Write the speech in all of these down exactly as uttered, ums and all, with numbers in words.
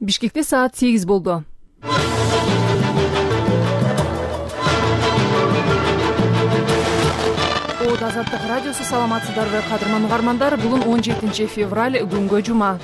Бишкекте саат сегиз болду. Оот Азаттык радиосу, саламатсыздарбы кадырман угармандар? Бүгүн он жетинчи февраль, күнгө жума.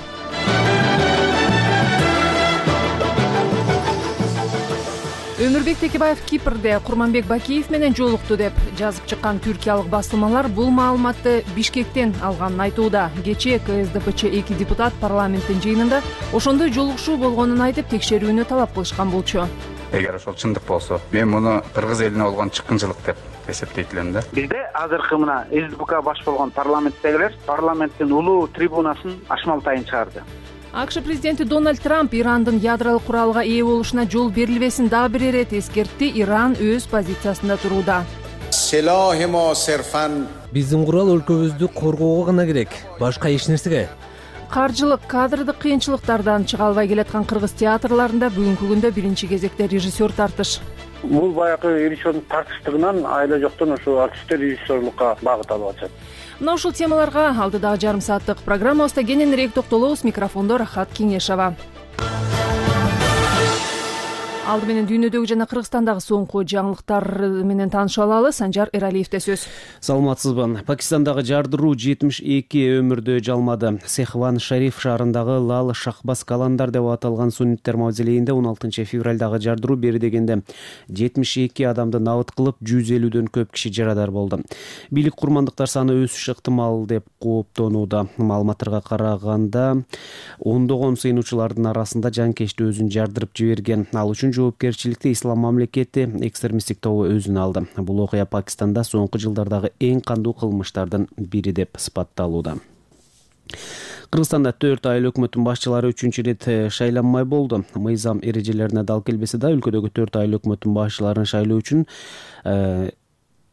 Өмүрбек Текебаев Кипрде Курманбек Бакиев менен жолукту деп жазып чыккан түркиялык басылмалар бул маалыматты Бишкектен алганын айтууда. Кечээ ка эс дэ пэ че эки депутат парламенттин жыйынында ошондой жолугушуу болгонун айтып, текшерүүнү талап кылышкан болчу. Эгер ошол чындык болсо, мен муну кыргыз элине болгон чыккынчылык деп эсептейт элем да. Бизде азыркы мына эс дэ пэ ка баш болгон парламенттегилер парламенттин улуу трибунасын ашмалтайын чыгарды. ак ш президенти Дональд Трамп Ирандын ядролук куралга ээ болушуна жол берилбесин дагы бир ирет эскертти. Иран өз позициясында турууда. Биздин курал өлкөбүздү коргоого гана керек, башка эч нерсеге. Каржылык, кадрдык кыйынчылыктардан чыга албай келаткан кыргыз театрларында бүгүнкү күндө биринчи кезекте режиссер тартыш. Бул баягы режиссердун тартыштыгынан айла жоктон ошо артисттер режиссерлукка багыт алып атышат. Мына ушул темаларга алдыдагы жарым сааттык программабызда кененирээк токтолобуз. Микрофондо Рахат Кеңешова. Алды менен дүйнөдөгү жана Кыргызстандагы соңку жаңылыктар менен таанышып алалы. Санжар Эралиевде сөз. Саламатсызбы. Пакистандагы жардыруу жетимиш эки өмүрдү жалмады. Сехван Шариф шаарындагы Лал Шахбас Каландар деп аталган сунниттер мавзолейинде он алтынчы февралдагы жардыруу бери дегенде жетимиш эки адамды набыт кылып, жүз элүүдөн көп киши жарадар болду. Бийлик курмандыктар саны өсүшү ыктымал деп кооптонууда. Маалыматтарга караганда ондогон сыйынуучулардын арасында жанкечти өзүн жардырып жиберген. Ал үчүн жоопкерчиликти Ислам мамлекети экстремисттик тобу өзүнө алды. Бул окуя Пакистанда соңку жылдардагы эң кандуу кылмыштардын бири деп сыпатталууда. Кыргызстанда төрт айыл өкмөттүн башчылары үчүнчү ирет шайланмай болду. Мыйзам эрежелерине дал келбесе да, өлкөдөгү төрт айыл өкмөттүн башчыларын шайлоо үчүн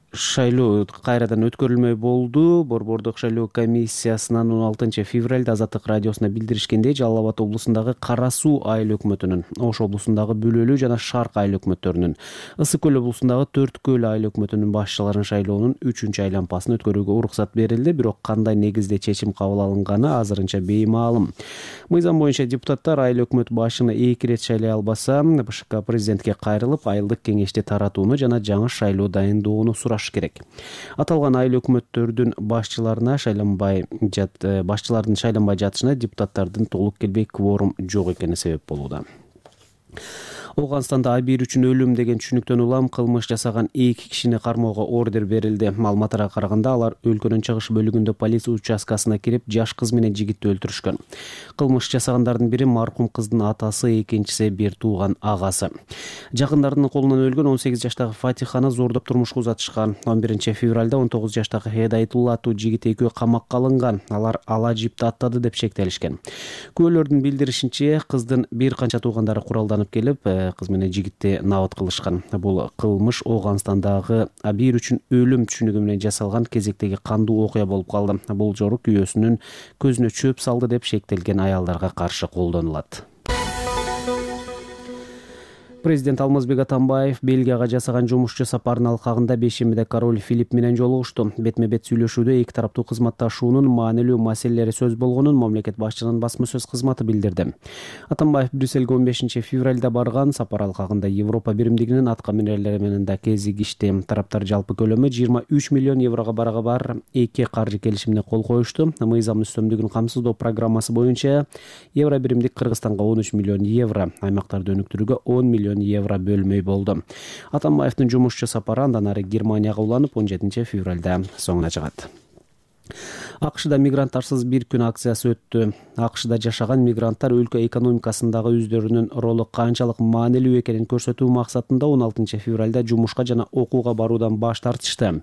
шайлоо кайрадан өткөрүлмөй болду. Борбордук шайлоо комиссиясынан он алтынчы февралда Азаттык радиосуна билдиришкендей, Жалал Абад облусундагы Кара Суу айыл өкмөтүнүн, Ош облусундагы Бөлөлүү жана Шарк айыл өкмөттөрүнүн, Ысык көл облусундагы Төрткөл айыл өкмөтүнүн башчыларын шайлоонун үчүнчү айлампасын өткөрүүгө уруксат берилди. Бирок кандай негизде чечим кабыл алынганы азырынча беймаалым. Мыйзам боюнча депутаттар айыл өкмөт башчыны эки ирет шайлай албаса, бэ ш к президентке кайрылып, айылдык кеңешти таратууну жана жаңы шайлоо дайындоону сураш керек. Аталган айыл өкмөттөрдүн башчыларына шайланбай жат башчылардын шайланбай жатышына депутаттардын толук келбей кворум жок экени себеп болууда. Ооганстанда Абир үчүн өлүм деген түшүнүктөн улам кылмыш жасаган эки кишини кармоого ордер берилди. Маалыматтарга караганда алар өлкөнүн чыгыш бөлүгүндө полиция участкасына кирип, жаш кыз менен жигитти өлтүрүшкөн. Кылмыш жасагандардын бири маркум кыздын атасы, экинчиси бир тууган агасы. Жакындарынын колунан өлгөн он сегиз жаштагы Фатиханы зордоп турмушка узатышкан. он биринчи февралда он тогуз жаштагы Хедайтулла аттуу жигит экөө камакка алынган. Алар ала жипти аттады деп шектелишкен. Күбөлөрдүн билдиришинче, кыздын бир канча туугандары куралданып келип, кыз менен жигитти набыт кылышкан. Бул кылмыш Ооганстандагы Абир үчүн өлүм түшүнүгү менен жасалган кезектеги кандуу окуя болуп калды. Бул жору күйөөсүнүн көзүнө чөп салды деп шектелген аялдарга каршы колдонулат. Президент Алмазбек Атамбаев Бельгияга жасаган жумушчу сапарынын алкагында бейшембиде король Филипп менен жолугушту. Бетме-бет сүйлөшүүдө эки тараптуу кызматташуунун маанилүү маселелери сөз болгонун мамлекет башчынын басма сөз кызматы билдирди. Атамбаев Брюссельге он бешинчи февралда барган. Сапар алкагында Европа биримдигинин атка минерлери менен да кезигишти. Тараптар жалпы көлөмү жыйырма үч миллион еврого барага бар эки каржы келишимине кол коюшту. Мыйзам үстөмдүгүн камсыздоо программасы боюнча Евро биримдик Кыргызстанга он үч миллион евро, аймактарды өнүктүрүүгө он миллион евро бөлмөй болду. Атамбаевдин жумушчу сапары андан ары Германияга уланып он жетинчи февралда соңуна чыгат. ак шда мигранттарсыз бир күн акциясы өттү. ак шда жашаган мигранттар өлкө экономикасындагы өздөрүнүн ролу канчалык маанилүү экенин көрсөтүү максатында он алтынчы февралда жумушка жана окууга баруудан баш тартышты.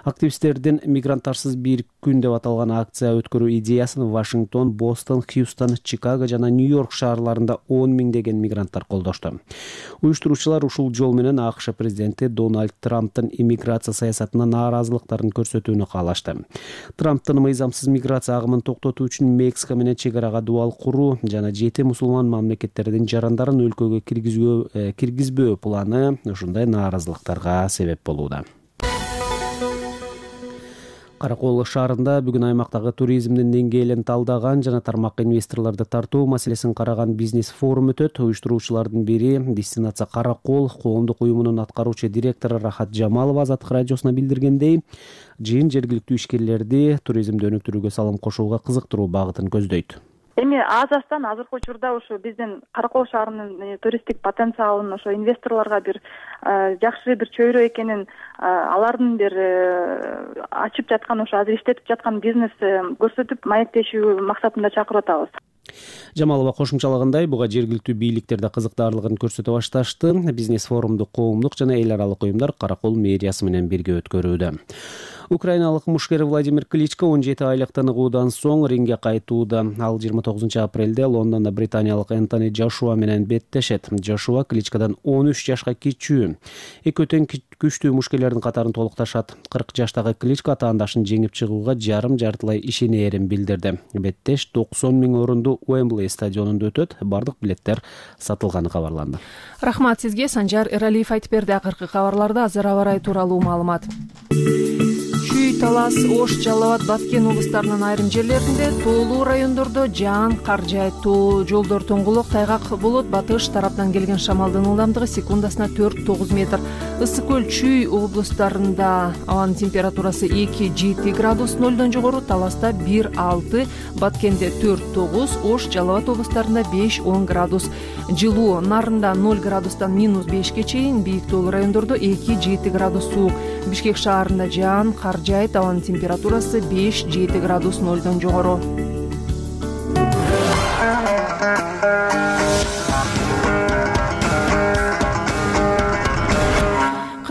Активисттердин мигранттарсыз бир күн деп аталган акция өткөрүү идеясын Вашингтон, Бостон, Хьюстон, Чикаго жана Нью-Йорк шаарларында он миңдеген мигранттар колдошту. Уюштуруучулар ушул жол менен ак ш президенти Дональд Трамптын иммиграция саясатына нааразылыктарын көрсөтүүнү каалашты. Трамптын мыйзамсыз миграция агымын токтотуу үчүн Мексика менен чек арага дубал куруу жана жети мусулман мамлекеттердин жарандарын өлкөгө киргизүү киргизбөө планы ушундай нааразылыктарга себеп болууда. Каракол шаарында бүгүн аймактагы туризмдин деңгээлин талдаган жана тармакка инвесторлорду тартуу маселесин караган бизнес форум өтөт. Уюштуруучулардын бири Дестинация Каракол коомдук уюмунун аткаруучу директору Рахат Жамалова Азаттык радиосуна билдиргендей, жыйын жергиликтүү ишкерлерди туризмди өнүктүрүүгө салым кошууга кызыктыруу багытын көздөйт. Эми азастан азыркы учурда ушу биздин Каракол шаарынын туристтик потенциалын ошо инвесторлорго бир жакшы бир чөйрө экенин, алардын бир ачып жаткан ошо азыр иштетип жаткан бизнес көрсөтүп маектешүү максатында чакырып атабыз. Жамалова кошумчалагандай, буга жергиликтүү бийликтер да кызыктаарлыгын көрсөтө башташты. Бизнес форумду коомдук жана эл аралык уюмдар Каракол мэриясы менен бирге өткөрүүдө. Украиналык мушкер Владимир Кличко он жети айлык тыныгуудан соң рингге кайтууда. Ал жыйырма тогузунчу апрелде Лондондо британиялык Энтони Джошуа менен беттешет. Джошуа Кличкодан он үч жашка кичүү. Эки өтөн күчтүү мушкерлердин катарын толукташат. кырк жаштагы Кличко атаандашын жеңип чыгууга жарым жартылай ишенээрин билдирди. Беттеш токсон миң орунду Уэмблей стадионунда өтөт. Бардык билеттер сатылганы кабарланды. Рахмат сизге. Санжар Эралиев айтып берди. Акыркы кабарларда азыр аба ырайы тууралуу маалымат. Чүй, Талас, Ош, Жалал абад, Баткен облустарынын айрым жерлеринде, тоолуу райондордо жаан кар жаайт. Жолдор тоңгулок, тайгак болот. Батыш тараптан келген шамалдын ылдамдыгы секундасына төрт тогуз метр. Ысык көл, Чүй облустарында абанын температурасы эки жети градус нолдон жогору, Таласта бир алты, Баткенде төрт тогуз, Ош, Жалал абад облустарында беш он градус. Жылуу, Нарында ноль градустан минус бешке чейин, бийик тоолуу райондордо эки жети градус суук. Бишкек шаарында жаан кар жаайт, абанын температурасы беш жети градус нолдон жогору.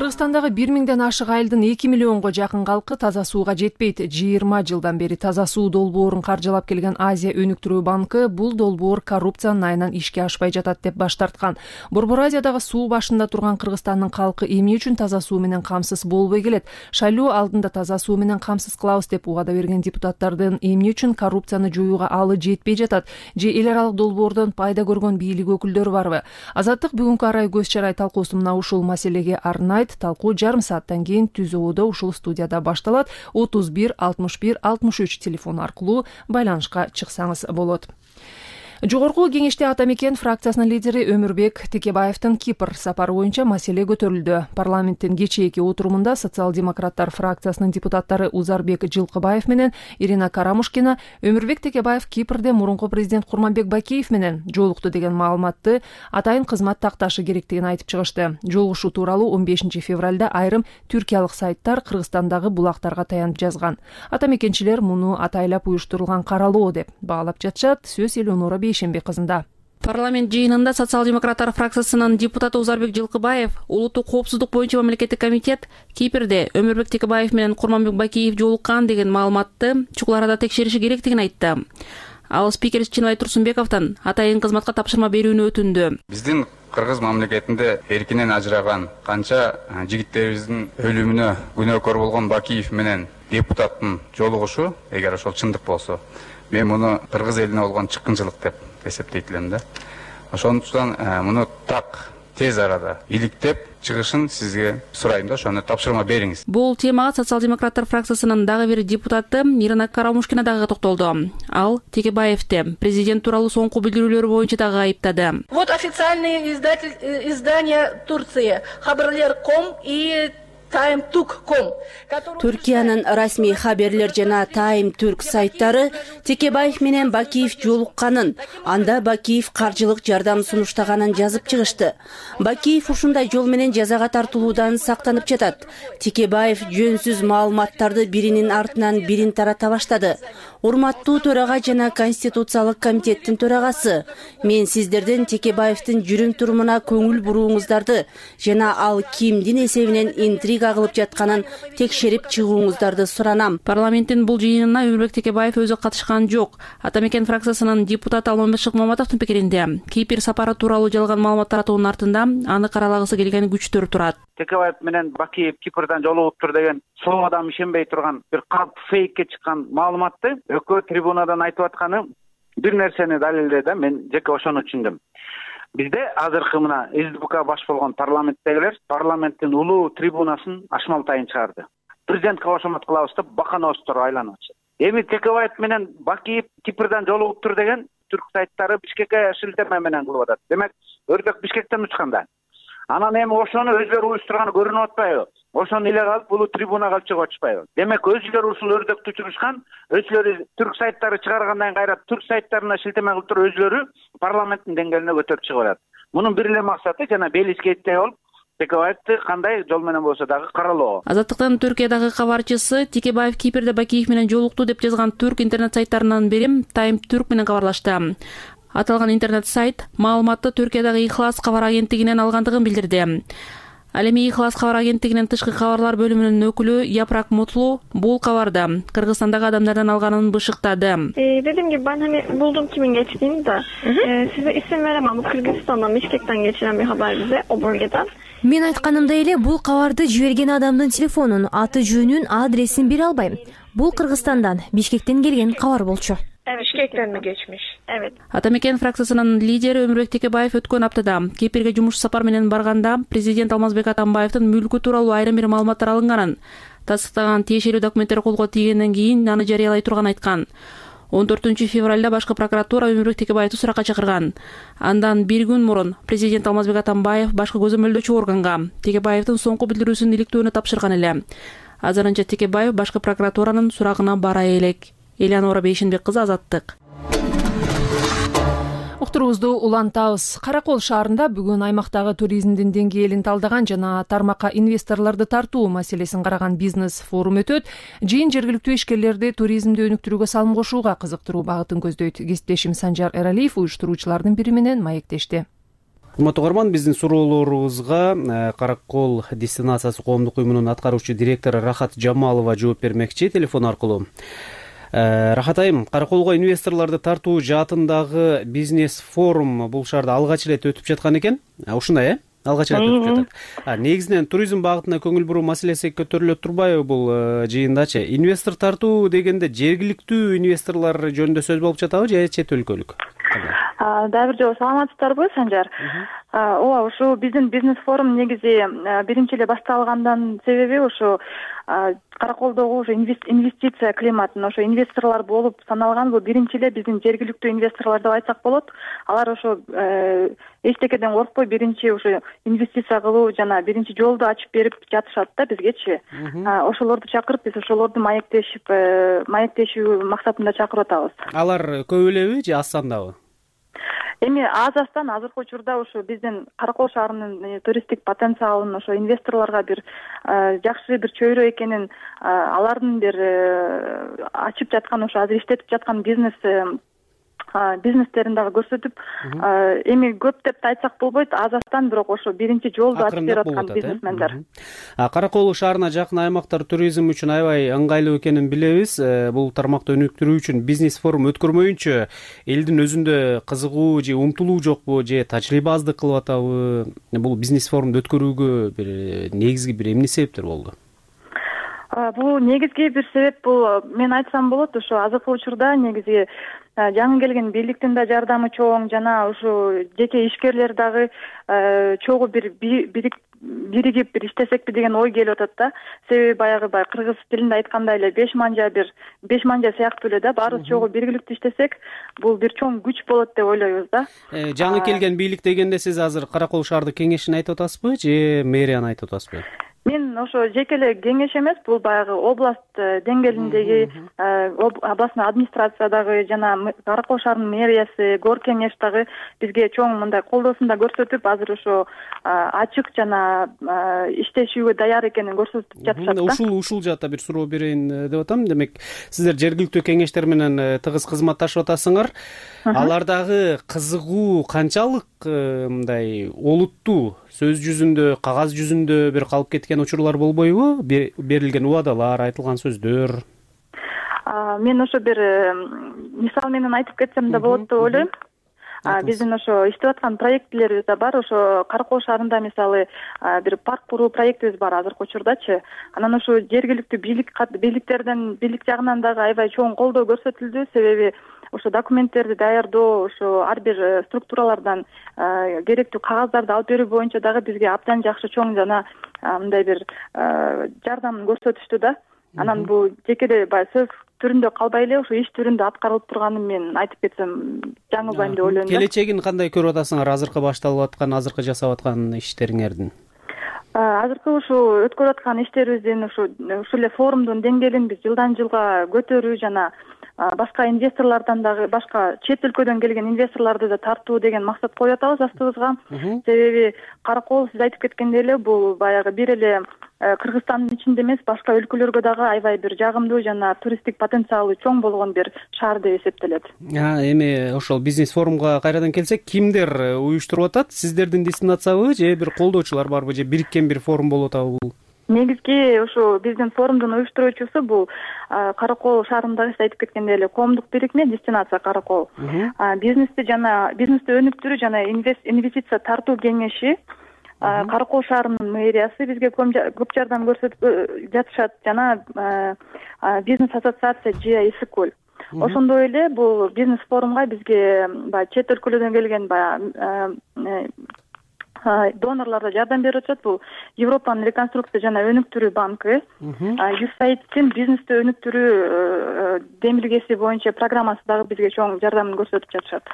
Кыргызстандагы бир миңден ашык айылдын эки миллионго жакын калкы таза сууга жетпейт. жыйырма жылдан бери таза суу долбоорун каржылап келген Азия өнүктүрүү банкы бул долбоор коррупциянын айынан ишке ашпай жатат деп баш тарткан. Борбор Азиядагы суу башында турган Кыргызстандын калкы эмне үчүн таза суу менен камсыз болбой келет? Шайлоо алдында таза суу менен камсыз кылабыз деп убада берген депутаттардын эмне үчүн коррупцияны жоюуга алы жетпей жатат? Же эл аралык долбоордон пайда көргөн бийлик өкүлдөрү барбы? Азаттык бүгүнкү арай көз чарай талкуусу мына ушул маселеге арнайт. Талкуу жарым сааттан кийин Түз Ободо ушул студияда башталат. отуз бир алтымыш бир алтымыш үч телефон аркылуу байланышка чыксаңыз болот. Жогорку кеңеште Ата Мекен фракциясынын лидери Өмүрбек Текебаевдин Кипр сапары боюнча маселе көтөрүлдү. Парламенттин кечээки отурумунда социал-демократтар фракциясынын депутаттары Узарбек Жылкыбаев менен Ирина Карамушкина Өмүрбек Текебаев Кипрде мурунку президент Курманбек Бакиев менен жолукту деген маалыматты атайын кызмат такташы керектигин айтып чыгышты. Жолугушуу тууралуу он бешинчи февралда айрым түркиялык сайттар Кыргызстандагы булактарга таянып жазган. Ата Мекенчилер муну атайлап уюштурулган каралоо деп баалап жатышат. Сөз Элеонора Бейшембек кызында. Парламент жыйынында социал-демократтар фракциясынын депутаты Узарбек Жылкыбаев улуттук коопсуздук боюнча мамлекеттик комитет Кипрде Өмүрбек Текебаев менен Курманбек Бакиев жолуккан деген маалыматты чукул арада текшериши керектигин айтты. Ал спикер Чынбай Турсунбековдон атайын кызматка тапшырма берүүнү өтүндү. Биздин Кыргыз мамлекетинде эркинен ажыраган канча жигиттерибиздин өлүмүнө күнөөкөр болгон Бакиев менен депутаттын жолугушу, эгер ошол чындык болсо, мен муну кыргыз элине болгон чыккынчылык деп эсептейт элем да. Ошондуктан муну так тез арада иликтеп чыгышын сизге сурайм да, ошону тапшырма бериңиз. Бул темага социал-демократтар фракциясынын дагы бир депутаты Ирина Карамушкина дагы токтолду. Ал Текебаевди президент тууралуу соңку билдирүүлөрү боюнча дагы айыптады. Вот официальные издатель, издания Турции Хабарлер точка ком и Time Turk точка ком. Түркиянын расмий хаберлер жана Time Turk сайттары Текебаев менен Бакиев жолукканын, анда Бакиев каржылык жардам сунуштаганын жазып чыгышты. Бакиев ушундай жол менен жазага тартылуудан сактанып жатат. Текебаев жөнсүз маалыматтарды биринин артынан бирин тарата баштады. Урматтуу төрага жана Конституциялык комитеттин төрагасы, мен сиздерден Текебаевдин жүрүм турумуна көңүл бурууңуздарды жана ал кимдин эсебинен интрига кылып жатканын текшерип чыгууңуздарды суранам. Парламенттин бул жыйынына Өмүрбек Текебаев өзү катышкан жок. Ата Мекен фракциясынын депутаты Алмамбет Шыкмаматовдун пикиринде, Кипр сапары тууралуу жалган маалымат таратуунун артында аны каралагысы келген күчтөр турат. Текебаев менен Бакиев Кипрдан жолугуптур деген соо адам ишенбей турган бир калп фейкке чыккан маалыматты экөө трибунадан айтып атканы бир нерсени далилдedi да, мен жеке ошону түшүндүм. Бизде азыркы мына СДПК баш болгон парламенттегилер парламенттин улуу трибунасын ашмал тайын чыгарды. президентке кошомот кылабыз деп баканобуздор айланып атышат. Эми Текебаев менен Бакиев Кипрдан жолугуптур деген түрк сайттары Бишкекке шилтеме менен кылып атат. Демек өрдөк Бишкектен учканда. Анан эми ошону өзлөрү уюштурганы көрүнүп атпайбы? Ошону иле калып бул трибунага алып чыгып атышпайбы? Демек өзүлөрү ушул өрдөктү учурушкан, өзүлөрү түрк сайттары чыгаргандан кайра түрк сайттарына шилтеме кылып туруп өзүлөрү парламенттин деңгээлине көтөрүп чыгып атат. Мунун бир эле максаты жана Белискейте болуп Текебаевди кандай жол менен болсо дагы каралоо. Азаттыктын Түркиядагы кабарчысы Текебаев Кипрде Бакиев менен жолукту деп жазган түрк интернет сайттарынан бири Time Turk менен кабарлашты. Аталган интернет сайт маалыматты Түркиядагы Ихлас кабар агенттигинен алгандыгын билдирди. Ал эми Ихлас кабар агенттигинин тышкы кабарлар бөлүмүнүн өкүлү Япрак Мутлу бул кабарды Кыргызстандагы адамдардан алганын бышыктады. Dediğim gibi ben hani buldum kimin geçtiğini de. Ee, size isim veremem. Bu Kırgızistan'dan, Bişkek'ten geçiren bir haber bize o bölgeden. Мен айтканымдай эле бул кабарды жиберген адамдын телефонун, аты жөнүн, адресин бере албайм. Бул Кыргызстандан, Бишкектен келген кабар болчу. Evet, Bişkek'ten mi geçmiş? Evet. Атамекен фракциясынын лидери Өмүрбек Текебаев өткөн аптада Кипрге жумуш сапар менен барганда президент Алмазбек Атамбаевдин мүлкү тууралуу айрым бир маалыматтар алынганын, тастыктаган тиешелүү документтер колго тийгенден кийин аны жарыялай турганын айткан. он төртүнчү февралда башкы прокуратура Өмүрбек Текебаевди суракка чакырган. Андан бир күн мурун президент Алмазбек Атамбаев башкы көзөмөлдөөчү органга Текебаевдин соңку билдирүүсүн иликтөөнү тапшырган эле. Азырынча Текебаев башкы прокуратуранын сурагына бара элек. Элеонора Бейшенбек кызы, Азаттык. Уктурубузду улантабыз. Каракол шаарында бүгүн аймактагы туризмдин деңгээлин талдаган жана тармакка инвесторлорду тартуу маселесин караган бизнес форум өтөт. Жыйын жергиликтүү ишкерлерди туризмди өнүктүрүүгө салым кошууга кызыктыруу багытын көздөйт. Кесиптешим Санжар Эралиев уюштуруучулардын бири менен маектешти. Урматтуу угарман, биздин суроолорубузга Каракол дестинациясы коомдук уюмунун аткаруучу директору Рахат Жамалова жооп бермекчи телефон аркылуу. Рахат айым, Караколго инвесторлорду тартуу жаатындагы бизнес форум бул шаарда алгач ирет өтүп жаткан экен. Ушундай э? Алгач ирет өтүп жатат. Негизинен туризм багытына көңүл буруу маселеси көтөрүлө турбайбы бул жыйындачы? Инвестор тартуу дегенде жергиликтүү инвесторлор жөнүндө сөз болуп жатабы же чет өлкөлүк? Дагы бир жолу саламатсыздарбы, Санжар? Ооба, ушу биздин бизнес форум негизи биринчи эле башталгандан себеби ушу Караколдогу ушу инвестиция климатын, ошо инвесторлор болуп саналган бул биринчи эле биздин жергиликтүү инвесторлор деп айтсак болот. Алар ошо эчтекеден коркпой биринчи ушу инвестиция кылуу жана биринчи жолду ачып берип жатышат да бизгечи. Ошолорду чакырып, биз ошолорду маектешип, маектешүү максатында чакырып атабыз. Алар көп элеби же аз сандабы? Эми аз аздан азыркы учурда ушу биздин Каракол шаарынын туристтик потенциалын ошо инвесторлорго бир жакшы бир чөйрө экенин, алардын бир ачып жаткан, ошо азыр иштетип жаткан бизнес бизнестерин дагы көрсөтүп, эми көп деп айтсак болбойт, аз аздан, бирок ошо биринчи жолду ачып берип аткан бизнесмендер. Каракол шаарына жакын аймактар туризм үчүн аябай ыңгайлуу экенин билебиз. Бул тармакты өнүктүрүү үчүн бизнес форум өткөрмөйүнчө элдин өзүндө кызыгуу же умтулуу жокпу, же тажрыйба аздык кылып атабы? Бул бизнес форумду өткөрүүгө бир негизги бир эмне себептер болду? Бул негизги бир себеп бул, мен айтсам болот, ошо азыркы учурда негизи жаңы келген бийликтин да жардамы чоң, жана ушу жеке ишкерлер дагы чогуу бир биригип бир иштесекпи деген ой келип атат да. Себеби баягы бай кыргыз тилинде айткандай эле беш манжа бир беш манжа сыяктуу эле да, баарыбыз чогуу биргиликтүү иштесек, бул бир чоң күч болот деп ойлойбуз да. Жаңы келген бийлик дегенде сиз азыр Каракол шаардык кеңешин айтып атасызбы же мэрияны айтып атасызбы? Мен ошо жеке эле кеңеш эмес, бул баягы область деңгээлиндеги областный администрациядагы жана Каракол шаарынын мэриясы, гор кеңеш дагы бизге чоң мындай колдоосун да көрсөтүп, азыр ошо ачык жана иштешүүгө даяр экенин көрсөтүп жатышат да. Ушул ушул жаатта бир суроо берейин деп атам. Демек, сиздер жергиликтүү кеңештер менен тыгыз кызматташып атасыңар. Алардагы кызыгуу канчалык мындай олуттуу, сөз жүзүндө, кагаз жүзүндө бир калып кеткен учурлар болбойбу? Берилген убадалар, айтылган сөздөр. Мен ошо бир мисал менен айтып кетсем да болот деп ойлойм. Биздин ошо иштеп аткан проектилерибиз да бар. Ошо Каракол шаарында мисалы бир парк куруу проектибиз бар азыркы учурдачы. Анан ошо жергиликтүү бийлик бийликтерден бийлик жагынан дагы аябай чоң колдоо көрсөтүлдү. Себеби ошо документтерди даярдоо, ошо ар бир структуралардан керектүү кагаздарды алып берүү боюнча дагы бизге абдан жакшы чоң жана мындай бир жардам көрсөтүштү да. Анан бул жеке эле баягы сөз түрүндө калбай эле ошо иш түрүндө аткарылып турганын мен айтып кетсем жаңылбайм деп ойлойм. Келечегин кандай көрүп атасыңар азыркы башталып аткан, азыркы жасап аткан иштериңердин? Азыркы ушул өткөрүп аткан иштерибиздин ушу ушул эле форумдун деңгээлин биз жылдан жылга көтөрүү жана башка инвесторлордон дагы, башка чет өлкөдөн келген инвесторлорду да тартуу деген максат коюп атабыз астыбызга. Себеби Каракол сиз айтып кеткендей эле бул баягы бир эле Кыргызстандын ичинде эмес, башка өлкөлөргө дагы аябай бир жагымдуу жана туристтик потенциалы чоң болгон бир шаар деп эсептелет. Эми ошол бизнес форумга кайрадан келсек, кимдер уюштуруп атат? Сиздердин дестинациябы же бир колдоочулар барбы, же бириккен бир форум болуп атабы бул? Негизги ошо биздин форумдун уюштуруучусу бул Каракол шаарындагы сиз айтып кеткендей эле коомдук бирикме дестинация Каракол. Бизнести жана бизнести өнүктүрүү жана инвестиция тартуу кеңеши, Каракол шаарынын мэриясы бизге көп жардам көрсөтүп жатышат жана бизнес ассоциация Жия Исыкөл. Ошондой эле бул бизнес форумга бизге баягы чет өлкөлөрдөн келген баягы донорлор да жардам берип атышат. Бул Европанын реконструкция жана өнүктүрүү банкы, юсайдтин бизнести өнүктүрүү демилгеси боюнча программасы дагы бизге чоң жардамын көрсөтүп жатышат.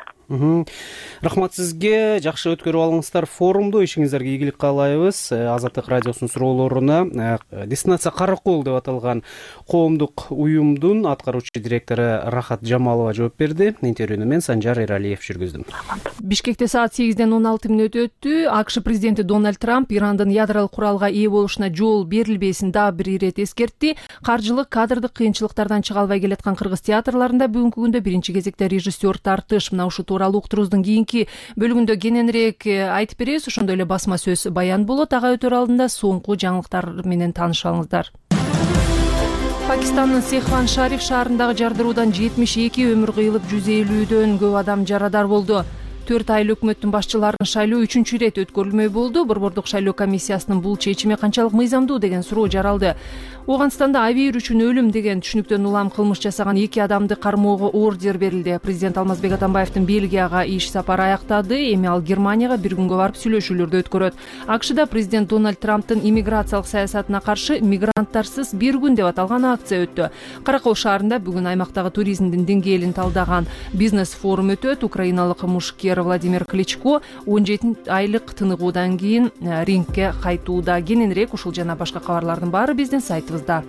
Рахмат сизге, жакшы өткөрүп алыңыздар форумду, ишиңиздерге ийгилик каалайбыз. Азаттык радиосунун суроолоруна дестинация Каракол деп аталган коомдук уюмдун аткаруучу директору Рахат Жамалова жооп берди. Интервьюну мен Санжар Эралиев жүргүздүм. Бишкекте саат сегизден он алты мүнөт өттү. АКШ президенти Дональд Трамп Ирандын ядролук куралга ээ болушуна жол берилбесин дагы бир ирет эскертти. Каржылык, кадрдык кыйынчылыктардан чыга албай келаткан кыргыз театрларында бүгүнкү күндө биринчи кезекте режиссер тартыш. Мына ушул тууралуу уктуруубуздун кийинки бөлүгүндө кененирээк айтып беребиз. Ошондой эле басма сөз баян болот. Ага өтөр алдында соңку жаңылыктар менен таанышып алыңыздар. Пакистандын Сехван Шариф шаарындагы жардыруудан жетимиш эки өмүр кыйылып, жүз элүүдөн көп адам жарадар болду. төрт айыл өкмөттүн башчыларын шайлоо үчүнчү ирет өткөрүлмөй болду. Борбордук шайлоо комиссиясынын бул чечими канчалык мыйзамдуу деген суроо жаралды. Ооганстанда аябай үчүн өлүм деген түшүнүктөн улам кылмыш жасаган эки адамды кармоого ордер берилди. Президент Алмазбек Атамбаевдин Бельгияга иш сапары аяктады. Эми ал Германияга бир күнгө барып сүйлөшүүлөрдү өткөрөт. АКШда президент Дональд Трамптын иммиграциялык саясатына каршы мигранттарсыз бир күн деп аталган акция өттү. Каракол шаарында бүгүн аймактагы туризмдин деңгээлин талдаган бизнес форум өтөт. Украиналык мушкер Владимир Кличко он жети айлык тыныгуудан кийин рингке кайтууда. Кененирээк ушул жана башка кабарлардын баары биздин сайтыбызда.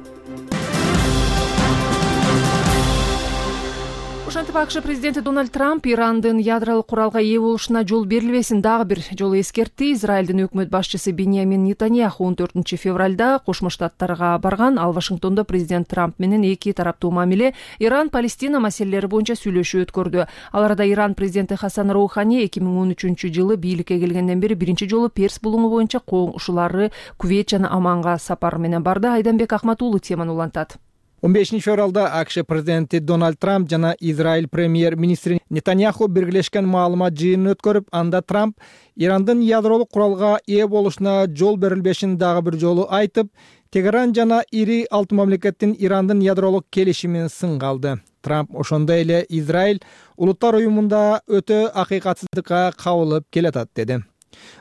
Ошентип АКШ президенти Дональд Трамп Ирандын ядролук куралга ээ болушуна жол берилбесин дагы бир жолу эскертти. Израилдин өкмөт башчысы Беньямин Нетаньяху он төртүнчү февралда Кошмо Штаттарга барган. Ал Вашингтондо президент Трамп менен эки тараптуу мамиле, Иран, Палестина маселелери боюнча сүйлөшүү өткөрдү. Ал арада Иран президенти Хасан Роухани эки миң он үчүнчү жылы бийликке келгенден бери биринчи жолу Перс булуңу боюнча коңшулары Кувейт жана Оманга сапар менен барды. Айданбек Ахматуулу теманы улантат. он бешинчи февралда АКШ президенти Дональд Трамп жана Израиль премьер-министри Нетаньяху биргелешкен маалымат жыйынын өткөрүп, анда Трамп Ирандын ядролук куралга ээ болушуна жол берилбешин дагы бир жолу айтып, Тегеран жана ири алты мамлекеттин Ирандын ядролук келишимин сынга алды. Трамп ошондой эле Израиль улуттар уюмунда өтө акыйкатсыздыкка кабылып келатат деди.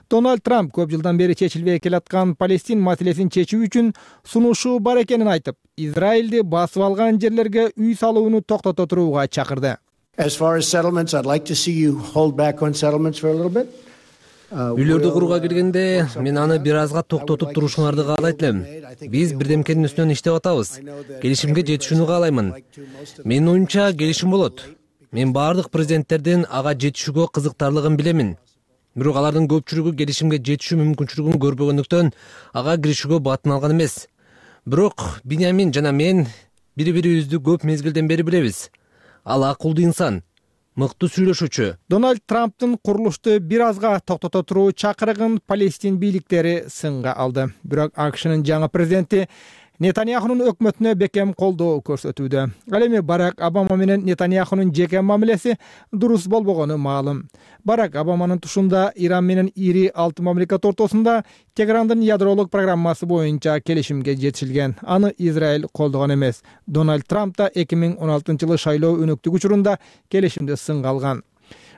Дональд Трамп көп жылдан бери чечилбей келаткан Палестин маселесин чечүү үчүн сунушу бар экенин айтып, Израилди басып алган жерлерге үй салууну токтото турууга чакырды. Үйлөрдү курууга келгенде, мен аны бир азга токтотуп турушуңарды каалайт элем. Биз бирдемкенин үстүнөн иштеп атабыз. Келишимге жетишүүнү каалаймын. Менин оюмча келишим болот. Мен бардык президенттердин ага жетишүүгө кызыктарлыгын билемин. Бирок алардын көпчүлүгү келишимге жетишүү мүмкүнчүлүгүн көрбөгөндүктөн ага киришүүгө батын алган эмес. Бирок Биньямин жана мен бири-бирибизди көп мезгилден бери билебиз. Ал акылдуу инсан, мыкты сүйлөшүүчү. Дональд Трамптын курулушту бир азга токтото туруу чакырыгын Палестин бийликтери сынга алды. Бирок АКШнын жаңы президенти Нетаньяхунун өкмөтүнө бекем колдоо көрсөтүүдө. Ал эми Барак Обама менен Нетаньяхунун жеке мамилеси дурус болбогону маалым. Барак Обаманын тушунда Иран менен ири алты мамлекет ортосунда Тегерандын ядролук программасы боюнча келишимге жетишилген. Аны Израиль колдогон эмес. Дональд Трамп да эки миң он алтынчы жылы шайлоо өнөктүк учурунда келишимди сынга алган.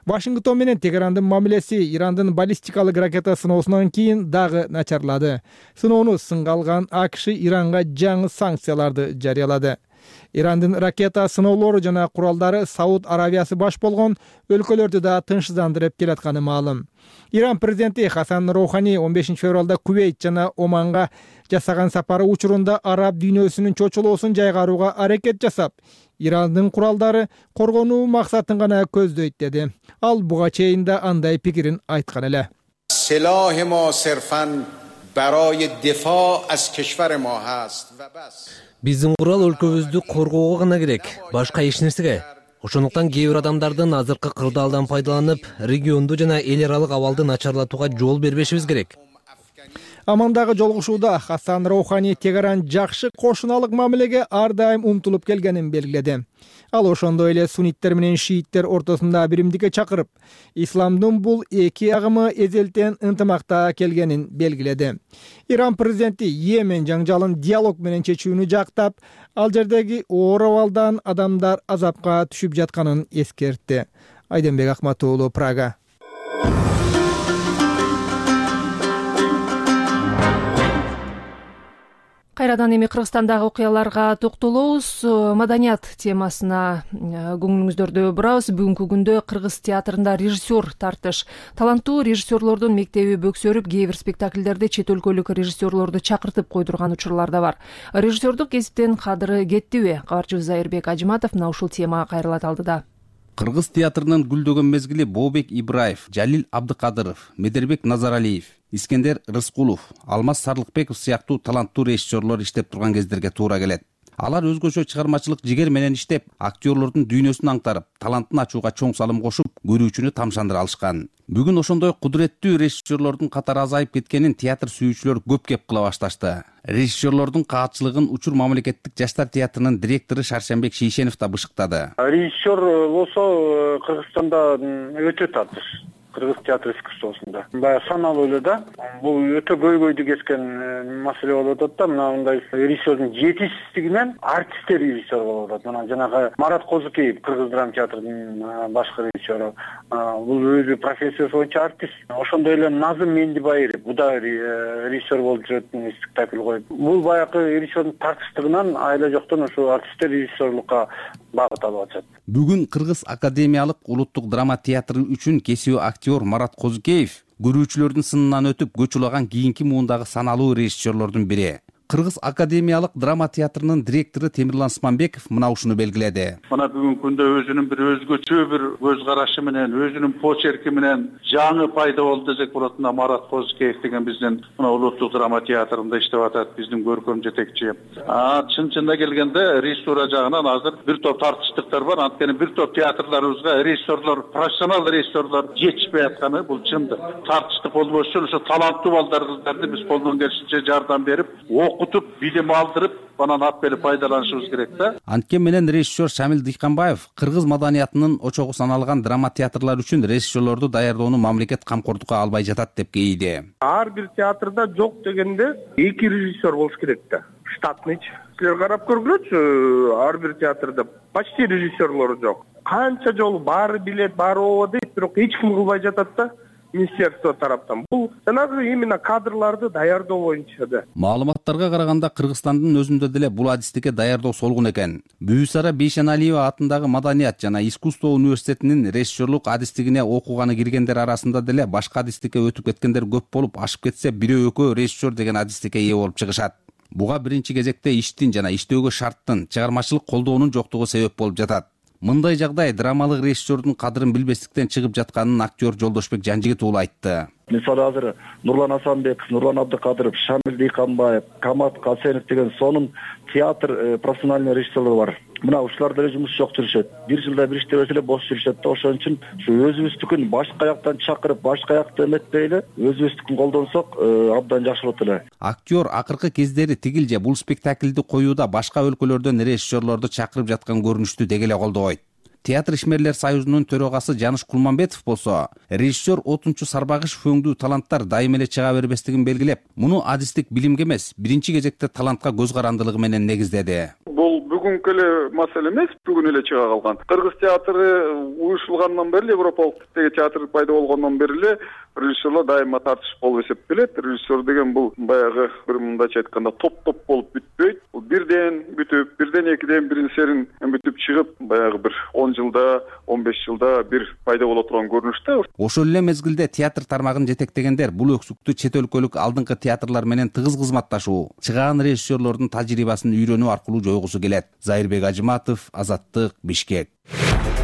Вашингтон менен Тегерандын мамилеси Ирандын баллистикалык ракета сыноосунан кийин дагы начарлады. Сыноону сынга алган АКШ Иранга жаңы санкцияларды жарыялады. Ирандын ракета сыноолору жана куралдары Сауд Аравиясы баш болгон өлкөлөрдү да тынчсыздандырып келатканы маалым. Иран президенти Хасан Роухани он бешинчи февралда Кувейт жана Оманга жасаган сапары учурунда араб дүйнөсүнүн чочулоосун жайгарууга аракет жасап, Ирандын куралдары коргонуу максатын гана көздөйт деди. Ал буга чейин да андай пикирин айткан эле. Биздин курал өлкөбүздү коргоого гана керек, башка эч нерсеге. Ошондуктан кээ бир адамдардын азыркы кырдаалдан пайдаланып, регионду жана эл аралык абалды начарлатууга жол бербешибиз керек. Амандагы жолугушууда Хасан Роухани Тегеран жакшы кошуналык мамилеге ар дайым умтулуп келгенин белгиледи. Ал ошондой эле сунниттер менен шииттер ортосунда биримдикке чакырып, исламдын бул эки агымы эзелтен ынтымакта келгенин белгиледи. Иран президенти Йемен жаңжалын диалог менен чечүүнү жактап, ал жердеги оор абалдан адамдар азапка түшүп жатканын эскертти. Айденбек Акматуулу, Прага. Кайрадан эми Кыргызстандагы окуяларга токтолобуз. Маданият темасына көңүлүңүздөрдү бурабыз. Бүгүнкү күндө Кыргыз театрында режиссер тартыш. Таланттуу режиссерлордун мектеби бөксөрүп, кээ бир спектакльдерди чет өлкөлүк режиссерлорду чакыртып койдурган учурлар да бар. Режиссердук кесиптен кадыры кеттиби? Кабарчыбыз Зайырбек Ажиматов мына ушул темага кайрылат алдыда. Кыргыз театрынын гүлдөгөн мезгили Бообек Ибраев, Жалил Абдыкадыров, Медербек Назаралиев, Искендер Рыскулов, Алмаз Сарлыкбеков сыяктуу таланттуу режиссерлор иштеп турган кездерге туура келет. Алар өзгөчө чыгармачылык жигер менен иштеп, актерлордун дүйнөсүн аңтарып, талантын ачууга чоң салым кошуп, көрүүчүнү тамшандыра алышкан. Бүгүн ошондой кудуреттүү режиссерлордун катары азайып кеткенин театр сүйүүчүлөр көп кеп кыла башташты. Режиссерлордун каатчылыгын Учур мамлекеттик жаштар театрынын директору Шаршембек Шейшенов да бышыктады. Режиссер болсо Кыргызстанда өтө татыш. Кыргыз театр искусствосунда. Баягы саналуу эле да. Бул өтө көйгөйдү кескен маселе болуп атат да. Мына мындай режиссердин жетишсиздигинен артисттер режиссер болуп атат. Мына жанагы Марат Козукеев, Кыргыз драма театрынын башкы режиссеру. Бул өзү профессиясы боюнча артист. Ошондой эле Назым Мендибайыров, бу да режиссер болуп жүрөт, спектакль коюп. Бул баягы режиссердин тартыштыгынан айла жоктон ошо артисттер режиссерлукка багыт алып атышат. Бүгүн Кыргыз академиялык улуттук драма театры үчүн кесиби актер Марат Козукеев көрүүчүлөрдүн сынынан өтүп көч улаган кийинки муундагы саналуу режиссерлордун бири. Кыргыз академиялык драма театрынын директору Темирлан Османбеков мына ушуну белгиледи. Мына бүгүнкү күндө өзүнүн бир өзгөчө бир көз карашы менен, өзүнүн почерки менен жаңы пайда болду десек болот. Мына Марат Козукеев деген биздин мына улуттук драма театрында иштеп атат, биздин көркөм жетекчи. А чын-чынында келгенде режиссура жагынан азыр бир топ тартыштыктар бар. Анткени бир топ театрларыбызга режиссерлор, профессионал режиссерлор жетишпей атканы бул чындык. Тартыштык болбош үчүн ошо таланттуу балдар кыздарды биз колдон келишинче жардам берип, окутуп, билим алдырып, анан ап келип пайдаланышыбыз керек да. Анткен менен режиссер Шамил Дыйканбаев кыргыз маданиятынын очогу саналган драма театрлар үчүн режиссерлорду даярдоону мамлекет камкордукка албай жатат деп кейиди. Ар бир театрда жок дегенде эки режиссер болуш керек да. Штатный. Силер карап көргүлөчү, ар бир театрда почти режиссерлор жок. Канча жолу баары билет, баары ооба дейт, бирок эч ким кылбай жатат да. Министерство тараптан. Бул жанагы именно кадрларды даярдоо боюнча да. Маалыматтарга караганда Кыргызстандын өзүндө деле бул адистикке даярдоо солгун экен. Бүүсара Бейшеналиева атындагы Маданият жана искусство университетинин режиссерлук адистигине окуганы киргендер арасында деле башка адистикке өтүп кеткендер көп болуп, ашып кетсе бирөө экөө режиссер деген адистикке ээ болуп чыгышат. Буга биринчи кезекте иштин жана иштөөгө шарттын, чыгармачылык колдоонун жоктугу себеп болуп жатат. Мындай жагдай драмалык режиссердун кадырын билбестиктен чыгып жатканын актер Жолдошбек Жанжигит уулу айтты. Мисалы азыр Нурлан Асанбеков, Нурлан Абдыкадыров, Шамил Дыйканбаев, Камат Касенов деген сонун театр профессиональный режиссерлор бар. Мына ушулар деле жумуш жок жүрүшөт. Бир жылда бир иштебесе эле бош жүрүшөт да. Ошон үчүн ушу өзүбүздүкүн башка жактан чакырып, башка жакты эметпей эле өзүбүздүкүн колдонсок абдан жакшы болот эле. Актер акыркы кездери тигил же бул спектакльди коюуда башка өлкөлөрдөн режиссерлорду чакырып жаткан көрүнүштү деги эле колдобойт. Театр ишмерлер союзунун төрагасы Жаныш Кулманбетов болсо, режиссер Отунчу Сарбагышев өңдүү таланттар дайым эле чыга бербестигин белгилеп, муну адистик билимге эмес, биринчи кезекте талантка көз карандылыгы менен негиздеди. Бул бүгүнкү эле маселе эмес, бүгүн эле чыга калган. Кыргыз театры уюшулгандан бери, Европалык типтеги театр пайда болгондон бери эле режиссерлор дайыма тартыш болуп эсептелет. Режиссер деген бул баягы бир мындайча айтканда топ-топ болуп бүтпөйт. Бул бирден бүтүп, бирден экиден бирин серин бүтүп чыгып, баягы бир он жылда, он беш жылда бир пайда боло турган көрүнүш да. Ошол эле мезгилде театр тармагын жетектегендер бул өксүктү чет өлкөлүк алдыңкы театрлар менен тыгыз кызматташуу, чыгаан режиссерлордун тажрыйбасын үйрөнүү аркылуу жойгусу келет. Зайырбек Ажыматов, Азаттык, Бишкек.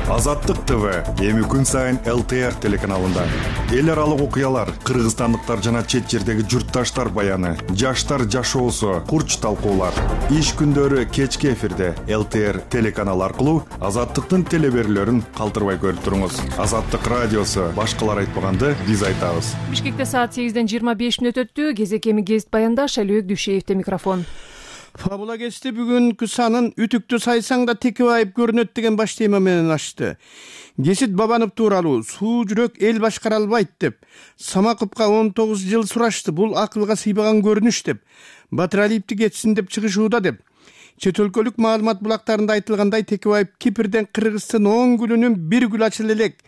Азаттык ТВ эми күн сайын эл тэ эр телеканалында эл аралык окуялар, кыргызстандыктар жана чет жердеги журтташтар баяны, жаштар жашоосу, курч талкуулар. Иш күндөрү кечки эфирде эл тэ эр телеканалы аркылуу Азаттыктын телеберүүлөрүн калтырбай көрүп туруңуз. Азаттык радиосу башкалар айтпаганды биз айтабыз. Бишкекте саат сегизден жыйырма беш мүнөт өттү. Кезек эми гезит баяндаш Алибек Дүйшеевде микрофон. Фабула кести бүгүнкү санын үтүктү сайсаң да текебайып көрүнөт деген баш тема менен ачты. Гесит Бабанов тууралуу суу жүрөк эл башкара албайт деп, Самаковго он тогуз жыл сурашты. Бул акылга сыйбаган көрүнүш деп, Батыралиевди кетсин деп чыгышууда деп. Чет өлкөлүк маалымат булактарында айтылгандай Текебаев Кипрден Кыргыздын он гүлүнүн бир гүл ачылы элек.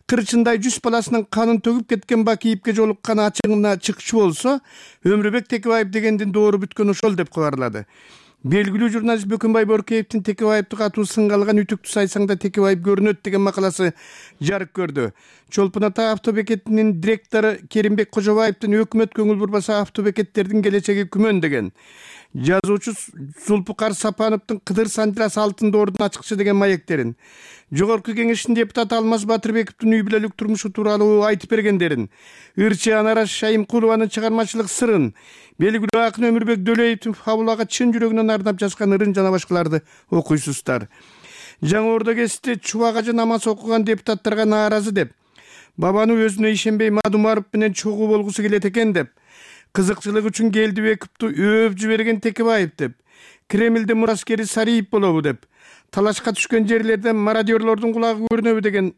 Кырчындай жүз баласынын канын төгүп кеткен Бакиевге жолуккан ачыгына чыкчу болсо, Өмүрбек Текебаев дегендин доору бүткөн ошол деп кабарлады. Белгилүү журналист Бөкөнбай Боркеевдин Текебаевди катуу сынга алган үтүктү сайсаңда Текебаев көрүнөт деген макаласы жарык көрдү. Чолпон Ата автобекетинин директору Керимбек Кожобаевдин өкмөт көңүл бурбаса автобекеттердин келечеги күмөн деген. Жазуучу Зулпукар Сапановдун Кыдыр Санжырас алтын доордун ачыкчы деген маектерин, Жогорку Кеңештин депутаты Алмаз Батырбековдун үй бүлөлүк турмушу тууралуу айтып бергендерин, Ырчы Анара Шайымкулованын чыгармачылык сырын, белгилүү акын Өмүрбек Дөлөевдин фабулага чын жүрөгүнөн ардап жазган ырын жана башкаларды окуйсуздар. Жаңы Ордо кесте чубагажы намаз окуган депутаттарга нааразы деп, Бабаны өзүнө ишенбей Мадумаров менен чогуу болгусу келет экен деп, кызыкчылык үчүн Келдибековду өөп жиберген Текебаев деп, Кремлдин мураскери Сариев болобу деп, талашка түшкөн жерлерден мародёрлордун кулагы көрүнөбү деген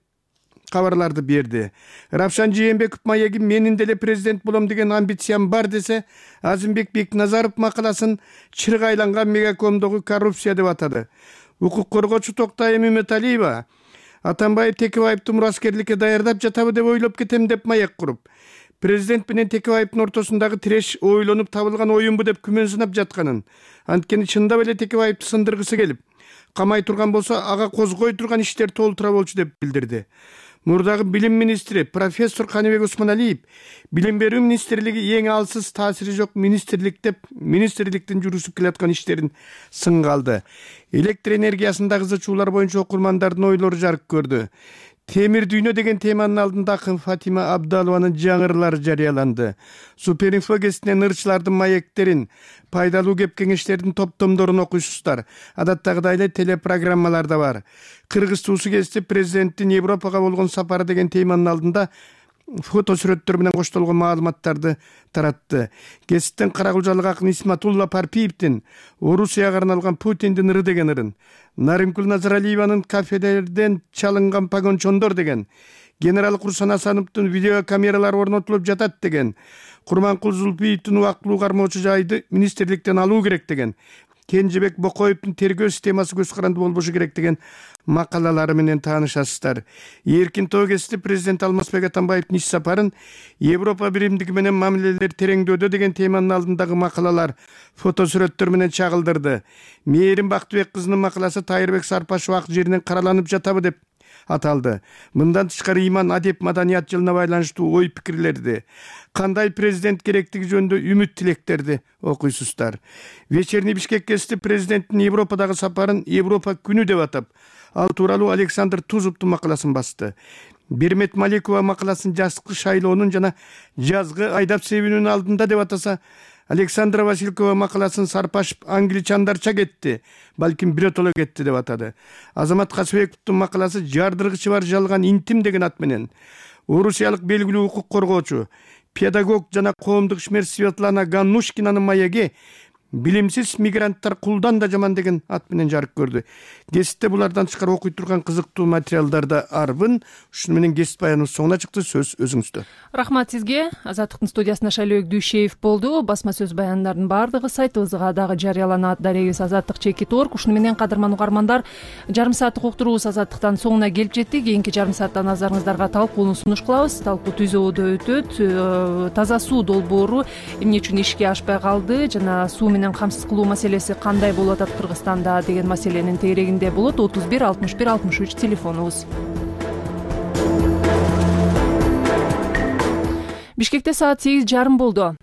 кабарларды берди. Рапшан Жээнбеков маеги менин деле президент болом деген амбициям бар десе, Азимбек Бекназаров макаласын чырг айланган мегакомдогу коррупция деп атады. Укук коргоочу Токтай Мөмөталиева Атамбаев Текебаевди мураскерликке даярдап жатабы деп ойлоп кетем деп маек куруп, президент менен Текебаевдин ортосундагы тиреш ойлонуп табылган оюнбу деп күмөн сынап жатканын, анткени чындап эле Текебаевди сындыргысы келип, камай турган болсо ага козгой турган иштер толтура болчу деп билдирди. Мурдагы билим министри профессор Каныбек Усманалиев билим берүү министрлиги эң алсыз таасири жок министрлик деп министрликтин жүргүзүп келаткан иштерин сынга алды. Электр энергиясындагы зычуулар боюнча окурмандардын ойлору жарык көрдү. Темир дүйнө деген теманын алдында акын Фатима Абдалованын жаңырлары жарыяланды. Суперинфо кесинен ырчылардын маектерин, пайдалуу кеп кеңештердин топтомдорун окуйсуздар. Адаттагыдай эле телепрограммалар да бар. Кыргыз туусу кести президенттин Европага болгон сапары деген теманын алдында фото сүрөттөр менен коштолгон маалыматтарды таратты. Кесиптен Каракулжалык акын Исматулла Парпиевдин Орусияга арналган Путиндин ыры деген ырын, Наримкул Назаралиеванын кафелерден чалынган погончондор деген, генерал Курсан Асановдун видеокамералары орнотулуп жатат деген, Курманкул Зулпиевдин убактылуу кармоочу жайды министрликтен алуу керек деген, Кенжебек Бокоевдин тергөө системасы көз каранды болбошу керек деген макалалары менен таанышасыздар. Эркин тоо кести президент Алмазбек Атамбаевдин иш сапарын Европа биримдиги менен мамилелер тереңдөөдө деген теманын алдындагы макалалар фото сүрөттөр менен чагылдырды. Мээрим Бактыбек кызынын макаласы Тайырбек Сарпашев ак жеринен караланып жатабы деп аталды. Мындан тышкары иман, адеп, маданият жылына байланыштуу ой пикирлерди, кандай президент керектиги жөнүндө үмүт тилектерди окуйсуздар. Вечерний Бишкек кести президенттин Европадагы сапарын Европа күнү деп атап, ал тууралуу Александр Тузовдун макаласын басты. Бермет Малекова макаласын жазкы шайлоонун жана жазгы айдап себүүнүн алдында деп атаса, Александра Василькова макаласын сарпашып англичандарча кетти, балким биротоло кетти деп атады. Азамат Касыбековдун макаласы жардыргычы бар жалган интим деген ат менен орусиялык белгилүү укук коргоочу, педагог жана коомдук ишмер Светлана Ганнушкинанын маеги билимсиз мигранттар кулдан да жаман деген ат менен жарык көрдү. Кесипте булардан тышкары окуй турган кызыктуу материалдар да арбын. Ушуну менен кесип баяныбыз соңуна чыкты. Сөз өзүңүздө. Рахмат сизге. Азаттыктын студиясында Шайлообек Дүйшеев болду. Басма сөз баяндардын баардыгы сайтыбызга дагы жарыяланат. Дарегибиз азаттык чекит орг. Ушуну менен кадырман угармандар, жарым сааттык уктуруубуз азаттыктан соңуна келип жетти. Кийинки жарым саатта назарыңыздарга талкууну сунуш кылабыз. Талкуу Түзөөдө өтөт. Таза суу долбоору эмне үчүн ишке ашпай калды жана суу менен камсыз кылуу маселеси кандай болуп атат Кыргызстанда деген маселенин тегерегинде болот. отуз бир алтымыш бир алтымыш үч телефонубуз. Бишкекте саат сегиз жарым болду.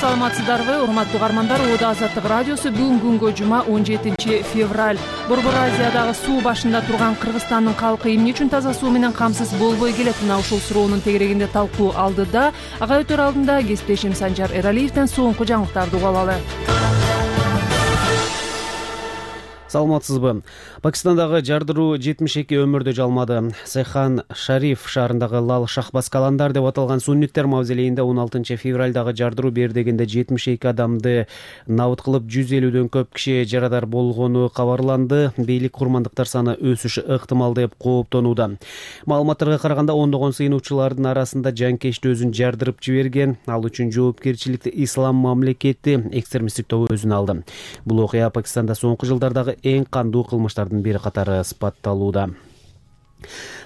Саламатсыздарбы, урматтуу угармандар? Ода Азаттык радиосу бүгүн күнгө жума он жетинчи февраль. Борбор Азиядагы суу башында турган Кыргызстандын калкы эмне үчүн таза суу менен камсыз болбой келет? Мына ушул суроонун тегерегинде талкуу алдыда. Ага өтөр алдында кесиптешим Санжар Эралиевден соңку жаңылыктарды угуп алалы. Саламатсызбы? Пакистандагы жардыруу жетимиш эки өмүрдү жалмады. Сайхан Шариф шаарындагы Лал Шахбас каландар деп аталган сунниттер мавзелейинде он алтынчы февралдагы жардыруу бердегенде жетимиш эки адамды набыт кылып жүз элүүдөн көп киши жарадар болгону кабарланды. Бийлик курмандыктар саны өсүшү ыктымал деп кооптонууда. Маалыматтарга караганда ондогон сыйынуучулардын арасында жанкечти өзүн жардырып жиберген. Ал үчүн жоопкерчиликти Ислам мамлекети экстремисттик тобу өзүнө алды. Бул окуя Пакистанда соңку жылдардагы эң кандуу кылмыштардын бири катары сыпатталууда.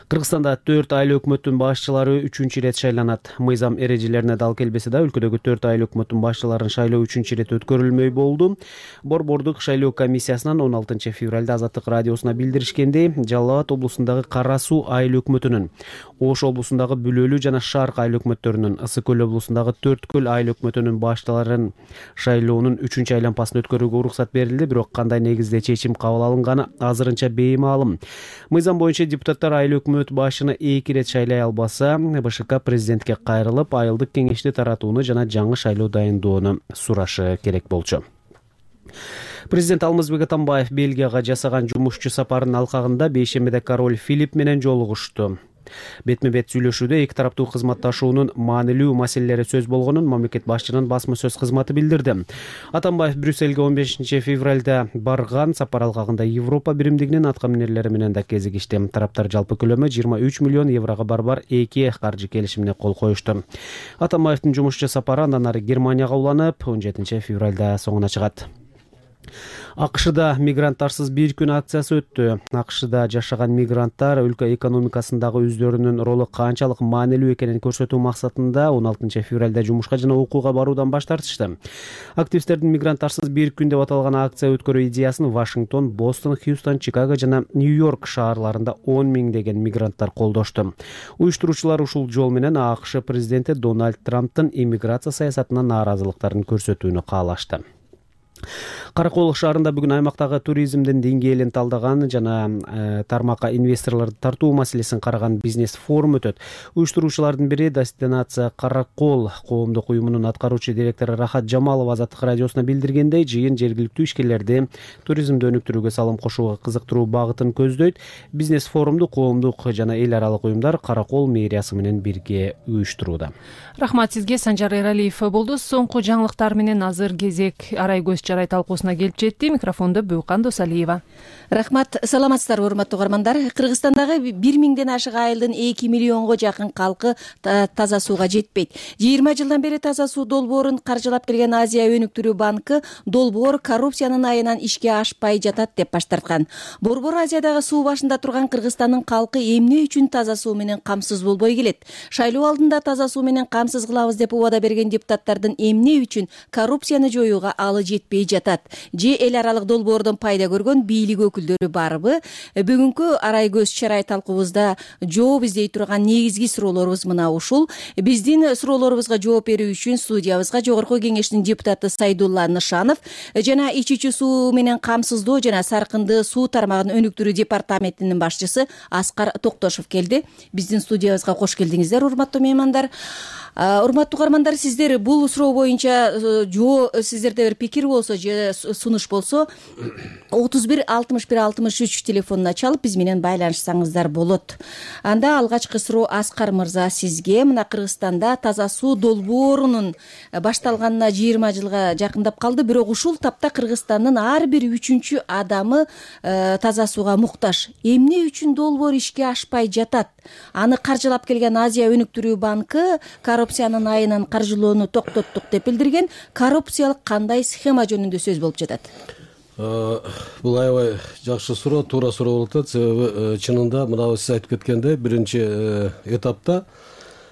Кыргызстанда төрт айыл өкмөттүн башчылары үчүнчү ирет шайланат. Мыйзам эрежелерине дал келбесе да, өлкөдөгү төрт айыл өкмөттүн башчыларын шайлоо үчүнчү ирет өткөрүлмөй болду. Борбордук шайлоо комиссиясынан он алтынчы февралда Азаттык радиосуна билдиришкендей, Жалал Абад облусундагы Кара Суу айыл өкмөтүнүн, Ош облусундагы Бүлөлүү жана Шарк айыл өкмөттөрүнүн, Ысык көл облусундагы Төрткөл айыл өкмөтүнүн башталарын шайлоонун үчүнчү айланпасын өткөрүүгө уруксат берилди, бирок кандай негизде чечим кабыл алынганы азырынча беймаалым. Мыйзам боюнча депутаттар айыл өкмөт башчыны эки ирет шайлай албаса, БШК президентке кайрылып, айылдык кеңешти таратууну жана жаңы шайлоо дайындоону сурашы керек болчу. Президент Алмазбек Атамбаев Бельгияга жасаган жумушчу сапарынын алкагында бейшембиде король Филипп менен жолугушту. Бетме-бет сүйлөшүүдө эки тараптуу кызматташуунун маанилүү маселелери сөз болгонун мамлекет башчынын басма сөз кызматы билдирди. Атамбаев Брюссельге он бешинчи февралда барган. Сапар алкагында Европа биримдигинин аткаминерлери менен да кезигишти. Тараптар жалпы көлөмү жыйырма үч миллион еврого барбар эки каржы келишимине кол коюшту. Атамбаевдин жумушчу сапары андан ары Германияга уланып, он жетинчи февралда соңуна чыгат. АКШда мигранттарсыз бир күн акциясы өттү. АКШда жашаган мигранттар өлкө экономикасындагы өздөрүнүн ролу канчалык маанилүү экенин көрсөтүү максатында он алтынчы февралда жумушка жана окууга баруудан баш тартышты. Активисттердин мигранттарсыз бир күн деп аталган акция өткөрүү идеясын Вашингтон, Бостон, Хьюстон, Чикаго жана Нью-Йорк шаарларында он миңдеген мигранттар колдошту. Уюштуруучулар ушул жол менен АКШ президенти Дональд Трамптын иммиграция саясатына нааразылыктарын көрсөтүүнү каалашты. Каракол шаарында бүгүн аймактагы туризмдин деңгээлин талдаган жана э, тармакка инвесторлорду тартуу маселесин караган бизнес форум өтөт. Уюштуруучулардын бири Дестинация Каракол коомдук уюмунун аткаруучу директору Рахат Жамалова Азаттык радиосуна билдиргендей, жыйын жергиликтүү ишкерлерди туризмди өнүктүрүүгө салым кошууга кызыктыруу багытын көздөйт. Бизнес форумду коомдук жана эл аралык уюмдар Каракол мэриясы менен бирге уюштурууда. Рахмат сизге, Санжар Эралиев болду. Соңку жаңылыктар менен азыр кезек Арай көз жарай талкуусуна келип жетти. Микрофондо Бүйкан Досалиева. Рахмат, саламатсыздарбы урматтуу угармандар? Кыргызстандагы бир миңден ашык айылдын эки миллионго жакын калкы таза сууга жетпейт. жыйырма жылдан бери таза суу долбоорун каржылап келген Азия өнүктүрүү банкы долбоор коррупциянын айынан ишке ашпай жатат деп баш тарткан. Борбор Азиядагы суу башында турган Кыргызстандын калкы эмне үчүн таза суу менен камсыз болбой келет? Шайлоо алдында таза суу менен камсыз кылабыз деп убада берген депутаттардын эмне үчүн коррупцияны жоюуга алы жетпей жетпей жатат же эл аралык долбоордон пайда көргөн бийлик өкүлдөрү барбы? Бүгүнкү арай көз чарай талкуубузда жооп издей турган негизги суроолорубуз мына ушул. Биздин суроолорубузга жооп берүү үчүн студиябызга Жогорку Кеңештин депутаты Сайдулла Нышанов жана ичүүчү суу менен камсыздоо жана саркынды суу тармагын өнүктүрүү департаментинин башчысы Аскар Токтошов келди. Биздин студиябызга кош келдиңиздер, урматтуу меймандар. Урматтуу угармандар, сиздер бул суроо боюнча жоо сиздерде бир пикир болсо же сунуш болсо отуз бир алтымыш бир алтымыш үч телефонуна чалып биз менен байланышсаңыздар болот. Анда алгачкы суроо Аскар мырза сизге. Мына Кыргызстанда таза суу долбоорунун башталганына жыйырма жылга жакындап калды, бирок ушул тапта Кыргызстандын ар бир үчүнчү адамы таза сууга муктаж. Эмне үчүн долбоор ишке ашпай жатат? Аны каржылап келген Азия өнүктүрүү банкы коррупциянын айынан каржылоону токтоттук деп билдирген. Коррупциялык кандай схема жөнүндө сөз болуп жатат? Бул аябай жакшы суроо, туура суроо болуп атат. Себеби чынында мына сиз айтып кеткендей биринчи этапта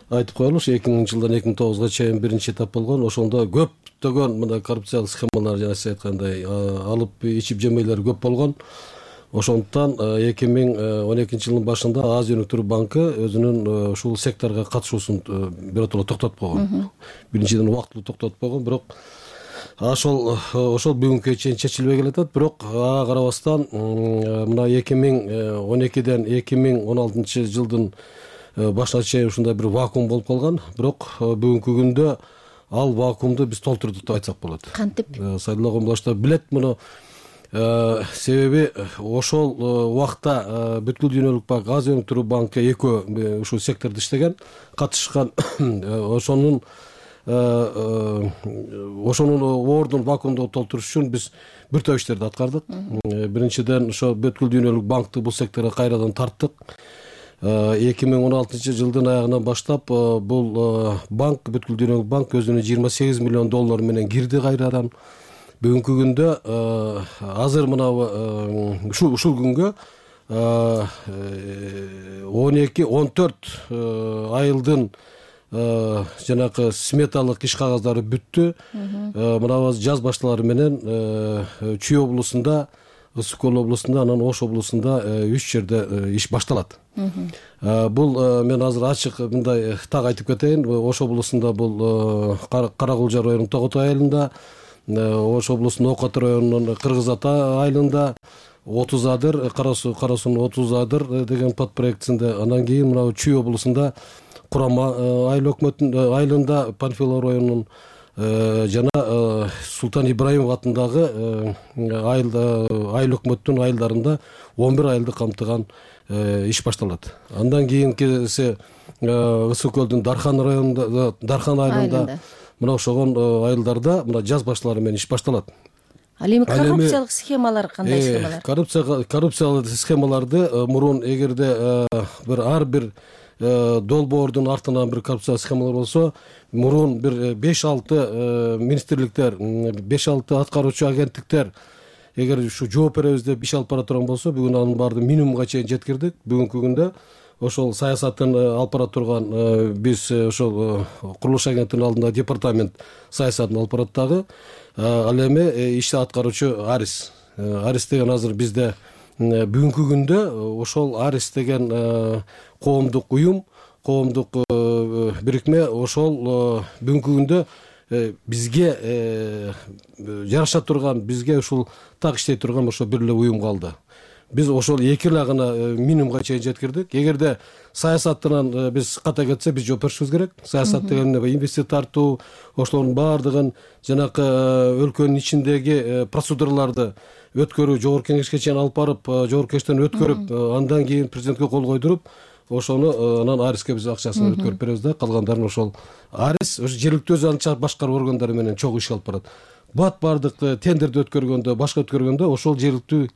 айтып коелу, ушу эки миңинчи жылдан эки миң тогузга чейин биринчи этап болгон. Ошондо көптөгөн мына коррупциялык схемалар жана сиз айткандай алып ичип жемейлер көп болгон. Ошондуктан эки миң он экинчи жылдын башында Азия өнүктүрүү банкы өзүнүн ушул секторго катышуусун биротоло токтотуп койгон. Биринчиден убактылуу токтотуп койгон, бирок ошол ошол бүгүнкүгө чейин чечилбей келатат. Бирок ага карабастан мына эки миң он экиден эки миң он алтынчы жылдын башына чейин ушундай бир вакуум болуп калган. Бирок бүгүнкү күндө ал вакуумду биз толтурдук деп айтсак болот. Кантип? Сайдулла Комбулашев билет муну. Себеби ошол убакта бүткүл дүйнөлүк банк, Азия өнүктүрүү банкы экөө ушул сектордо иштеген, катышкан. Ошонун ошонун ордун вакуумду толтуруш үчүн биз бир топ иштерди аткардык. Биринчиден ошо бүткүл дүйнөлүк банкты бул секторго кайрадан тарттык. эки миң он алтынчы жылдын аягынан баштап бул банк, бүткүл дүйнөлүк банк өзүнүн жыйырма сегиз миллион доллар менен кирди кайрадан. Бүгүнкү күндө азыр мына ушул ушул күнгө он эки он төрт айылдын жанакы сметалык иш кагаздары бүттү. Мына жаз башталары менен Чүй облусунда, Ысык Көл облусунда, анан Ош облусунда үч жерде иш башталат. Бул мен азыр ачык мындай так айтып кетейин. Ош облусунда бул Каракулжа районунун Тоготой айылында, Ош облусунун Ок Ата районунун Кыргыз Ата айылында, отуз адыр, Кара суунун отуз адыр деген подпроектисинде, анан кийин мына Чүй облусунда Курама айыл өкмөтүнүн айылында, Панфилов районунун жана Султан Ибраимов атындагы айыл өкмөттүн айылдарында он бир айылды камтыган иш башталат. Андан кийинкиси Ысык Көлдүн Дархан районунда, Дархан айылында, мына ошогон айылдарда мына жаз башталары менен иш башталат. Ал эми коррупциялык схемалар кандай схемалар? Коррупциялык схемаларды мурун эгерде бир ар бир долбоордун артынан бир коррупциялык схемалар болсо, мурун бир беш алты министрликтер, беш алты аткаруучу агенттиктер эгер ушу жооп беребиз деп иш алып бара турган болсо, бүгүн анын баарын минимумга чейин жеткирдик. Бүгүнкү күндө ошол саясатын алып бара турган биз ошол курулуш агенттигинин алдында департамент саясатын алып барат дагы. Ал эми ишти аткаруучу Арис. Арис деген азыр бизде бүгүнкү күндө ошол Арис деген коомдук уюм, коомдук бирикме ошол бүгүнкү күндө бизге жараша турган, бизге ушул так иштей турган ошо бир эле уюм калды. Биз ошол эки лагына минимумга чейин жеткирдик. Эгерде саясаттан биз ката кетсе, биз жооп беришибиз керек. Саясат деген инвестиция тартуу, ошолордун баардыгын жанакы өлкөнүн ичиндеги процедураларды өткөрүү, жогорку кеңешке чейин алып барып, жогорку кеңештен өткөрүп, андан кийин президентке кол койдуруп, ошону анан Ариске биз акчасын өткөрүп беребиз да, калгандарын ошол Арис ошо жергиликтүү өзү анча башкаруу органдары менен чогуу иш алып барат. Бат бардык тендерди өткөргөндө, башка өткөргөндө ошол жергиликтүү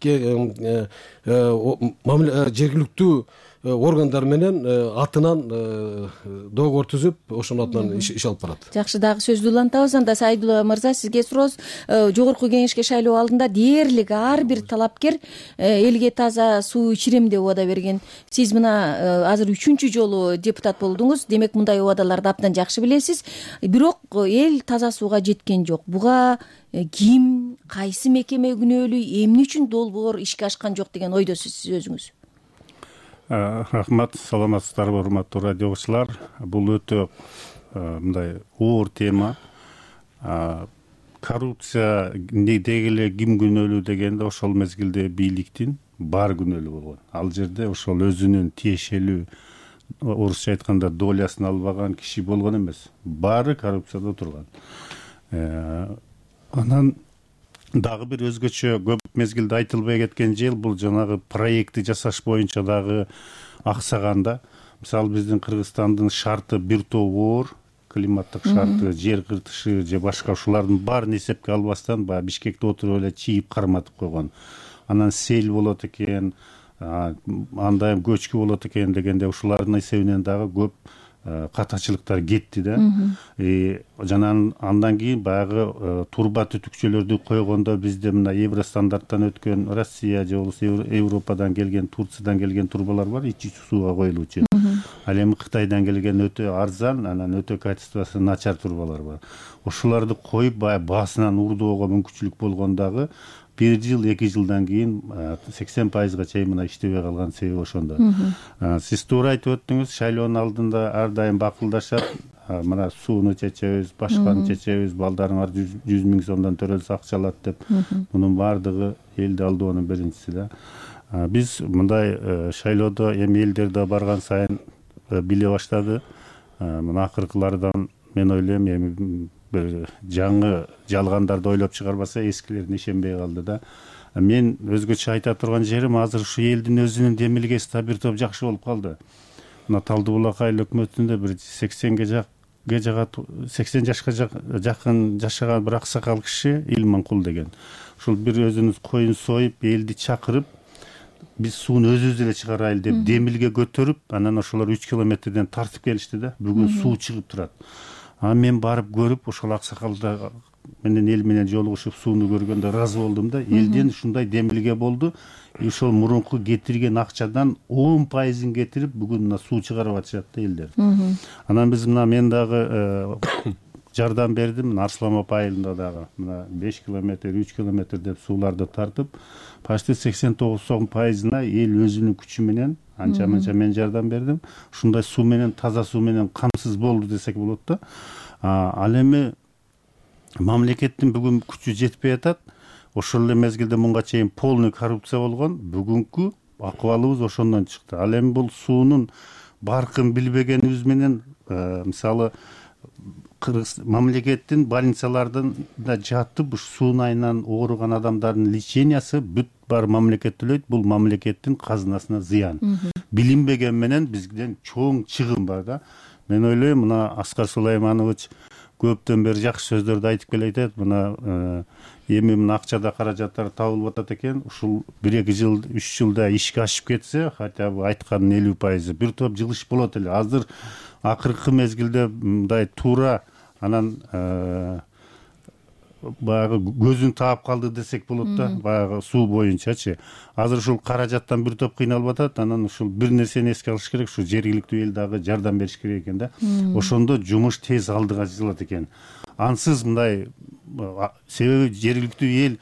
жергиликтүү органдар менен атынан договор түзүп ошонун атынан иш алып барат. Жакшы, дагы сөздү улантабыз. Анда Сайдулла мырза, сизге сурообуз. Жогорку кеңешке шайлоо алдында дээрлик ар бир талапкер элге таза суу ичирем деп убада берген. Сиз мына азыр үчүнчү жолу депутат болдуңуз, демек мындай убадаларды абдан жакшы билесиз. Бирок эл таза сууга жеткен жок. Буга ким, кайсы мекеме күнөөлүү, эмне үчүн долбоор ишке ашкан жок деген ойдосуз сиз өзүңүз? Рахмат, саламатсыздарбы урматтуу радио угуучулар. Бул өтө мындай оор тема. Коррупция деги эле ким күнөөлүү дегенде ошол мезгилде бийликтин бар күнөөлүү болгон. Ал жерде ошол өзүнүн тиешелүү, орусча айтканда долясын албаган киши болгон эмес. Баары коррупцияда турган. Анан дагы бир өзгөчө көп мезгилде айтылбай кеткен жел бул жанагы проектти жасаш боюнча дагы аксаганда. Мисалы биздин Кыргызстандын шарты бир топ оор, климаттык шарты, жер кыртышы же башка ушулардын баарын эсепке албастан баягы Бишкекте отуруп эле чийип карматып койгон. Анан сел болот экен, андай көчкү болот экен дегенде ушулардын эсебинен дагы көп катачылыктар кетти да. Жана андан кийин баягы турба түтүкчөлөрдү койгондо бизде мына евро стандарттан өткөн Россия же болбосо Европадан келген, Турциядан келген турбалар бар, ички сууга коюлуучу. Ал эми Кытайдан келген өтө арзан, анан өтө качествосы начар турбалар бар. Ошолорду коюп баягы баасынан урдоого мүмкүнчүлүк болгондагы бир жыл, эки жылдан кийин сексен пайызга чейин мына иштебей калган себеби ошондо. Сиз туура айтып өттүңүз, шайлоонун алдында ар дайым бакылдашат. Мына сууну чечебиз, башканы чечебиз, балдарыңар жүз миң сомдон төрөлсө акча алат деп. Мунун баардыгы элди алдоонун биринчиси да. Биз мындай шайлоодо эми элдер да барган сайын биле баштады. Мына акыркылардан мен ойлойм эми бир жаңы жалгандарды ойлоп чыгарбаса эскилерине ишенбей калды да. Мен өзгөчө айта турган жерим азыр ушу элдин өзүнүн демилгеси да бир топ жакшы болуп калды. Мына Талдуу Булак айыл өкмөтүндө бир сексенге жагат сексен жашка жакын жашаган бир аксакал киши Илманкул деген. Ушул бир өзүнүн коюн союп, элди чакырып, биз сууну өзүбүз эле чыгарайлы деп демилге көтөрүп, анан ошолор үч километрден тартып келишти да. Бүгүн суу чыгып турат. А мен барып көрүп, ошол аксакалда менен эл менен жолугушуп сууну көргөндө ыраазы болдум да. Элден ушундай демилге болду. Ошол мурунку кетирген акчадан он пайызын кетирип, бүгүн мына суу чыгарып атышат да элдер. Анан биз мына мен дагы жардам бердим. Арсланбап айылында дагы мына беш километр, үч километр деп сууларды тартып, почти сексен тогуз пайызына эл өзүнүн күчү менен анча-мынча мен жардам бердим. Ушундай суу менен, таза суу менен камсыз болду десек болот да. Ал эми мамлекеттин бүгүн күчү жетпей атат. Ошол эле мезгилде мунга чейин полный коррупция болгон. Бүгүнкү акыбалыбыз ошондон чыкты. Ал эми бул суунун баркын билбегенибиз менен, мисалы Кыргыз мамлекеттин больницалардын да жатып суун айынан ооруган адамдардын лечениясы бүт бар мамлекет төлөйт. Бул мамлекеттин казынасына зыян. Билинбеген менен бизден чоң чыгым бар да. Мен ойлойм, мына Аскар Сулайманович көптөн бери жакшы сөздөрдү айтып келе атат. Мына эми мына акчада каражаттар табылып атат экен. Ушул бир эки жыл, үч жылда ишке ашып кетсе, хотя бы айткандын элүү пайызы бир топ жылыш болот эле. Азыр акыркы мезгилде мындай туура анан баягы көзүн таап калды десек болот да, баягы суу боюнчачы. Азыр ушул каражаттан бир топ кыйналып атат. Анан ушул бир нерсени эске алыш керек, ушу жергиликтүү эл дагы жардам бериш керек экен да. Ошондо жумуш тез алдыга жылжат экен. Ансыз мындай, себеби жергиликтүү эл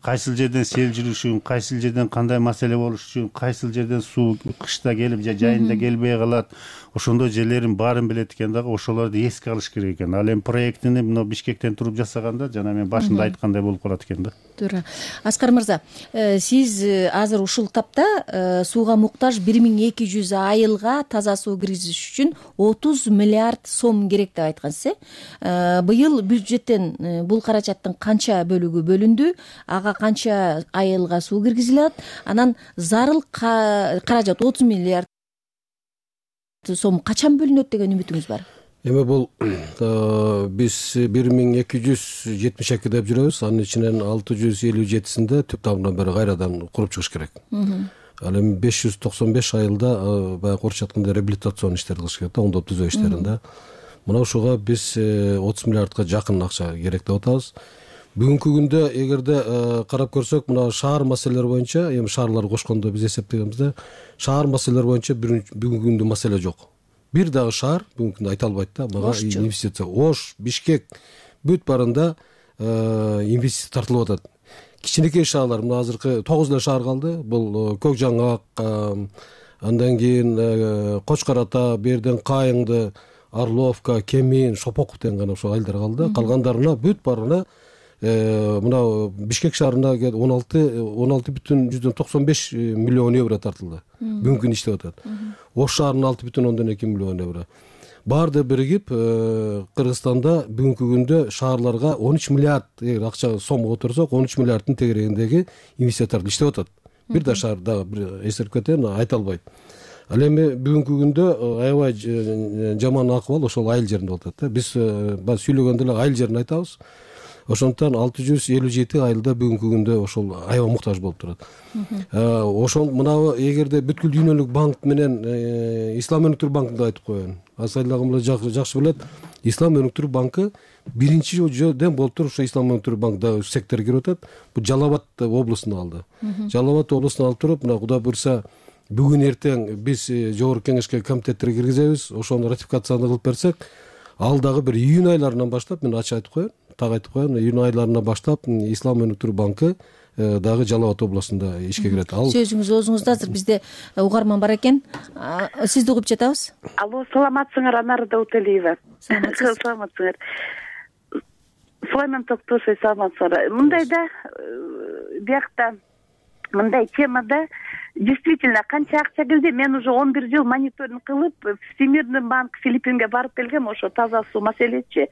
кайсыл жерден сел жүрүшүн, кайсыл жерден кандай маселе болушун, кайсыл жерден суу кышта келип же жайында келбей калат. Ошондой жерлерин баарын билет экен дагы, ошолорду эске алыш керек экен. Ал эми проектини мына Бишкектен туруп жасаганда жана мен башында айткандай болуп калат экен да. Туура. Аскар мырза, сиз азыр ушул тапта сууга муктаж бир миң эки жүз айылга таза суу киргизиш үчүн отуз миллиард сом керек деп айткансыз, э? Быйыл бюджеттен бул каражаттын канча бөлүгү бөлүндү? Ага канча айылга суу киргизилет? Анан зарыл каражат отуз миллиард сом качан бөлүнөт деген үмүтүңүз бар? Эми бул биз бир миң эки жүз жетимиш эки деп жүрөбүз. Анын ичинен алты жүз элүү жетисинде түп тамырынан бери кайрадан куруп чыгыш керек. ал эми беш жүз токсон беш айылда баягы орусча айтканда реабилитацион иштерди кылыш керек да, оңдоп түзөө иштерин да. Мына ушуга биз отуз миллиардка жакын акча керек деп атабыз. Бүгүнкү күндө эгерде карап көрсөк, мына шаар маселелери боюнча, эми шаарларды кошкондо биз эсептегенбизде, шаар маселелери боюнча бүгүнкү күндө маселе жок. Бир дагы шаар бүгүнкү күндө айта албайт да, мага инвестиция. Ош, Бишкек бүт барында инвестиция тартылып атат. Кичинекей шаарлар, мына азыркы тогуз эле шаар калды. Бул Көк Жаңак, андан кийин Кочкор Ата, берден Кайыңды, Орловка, Кемин, Шопоков деген гана ошо айылдар калды. Калгандарына бүт барына мына Бишкек шаарына он алты бүтүн жүздөн токсон беш миллион евро тартылды. Бүгүнкү күндө иштеп атат. Ош шаарына алты бүтүн ондон эки миллион евро. Баарды биригип Кыргызстанда бүгүнкү күндө шаарларга он үч миллиард эгер акча сомго отурсак, он үч миллиарддын тегерегиндеги инвестициялар иштеп атат. Бир да шаар дагы бир эсерип кетем, айта албайт. Ал эми бүгүнкү күндө аябай жаман акыбал ошол айыл жеринде болуп атат да. Биз баягы сүйлөгөндө эле айыл жерин айтабыз. Ошондуктан алты жүз элүү жети айылда бүгүнкү күндө ошол аябай муктаж болуп турат. Ошол мына эгерде бүткүл дүйнөлүк банк менен Ислам өнүктүрүү банкын да айтып коеюн. Асайлагым жакшы билет. Ислам өнүктүрүү банкы биринчи жолдон болуп туруп ошо Ислам өнүктүрүү банк да секторго кирип атат. Бул Жалал Абад облусунда алды. Жалал Абад облусунда алып туруп, мына Кудай буйрса бүгүн эртең биз жогорку кеңешке комитеттерге киргизебиз. Ошону ратификацияны кылып берсек, ал дагы бир июнь айларынан баштап, мен ачык айтып коеюн, так айтып коеюн, июнь айларынан баштап Ислам өнүктүрүү банкы дагы Жалал Абад областында ишке кирет. Ал сөзүңүз оозуңузда, азыр бизде угарман бар экен. Сизди угуп жатабыз. Алло, саламатсыңар, Анар Дауталиева. Саламатсыңар. Сулайман Токтошев, саламатсыңар. Мындайда биякта мындай темада действительно канча акча келди? Мен уже он бир жыл мониторинг кылып, Всемирный банк Филиппинге барып келгем, ошо таза суу маселечи.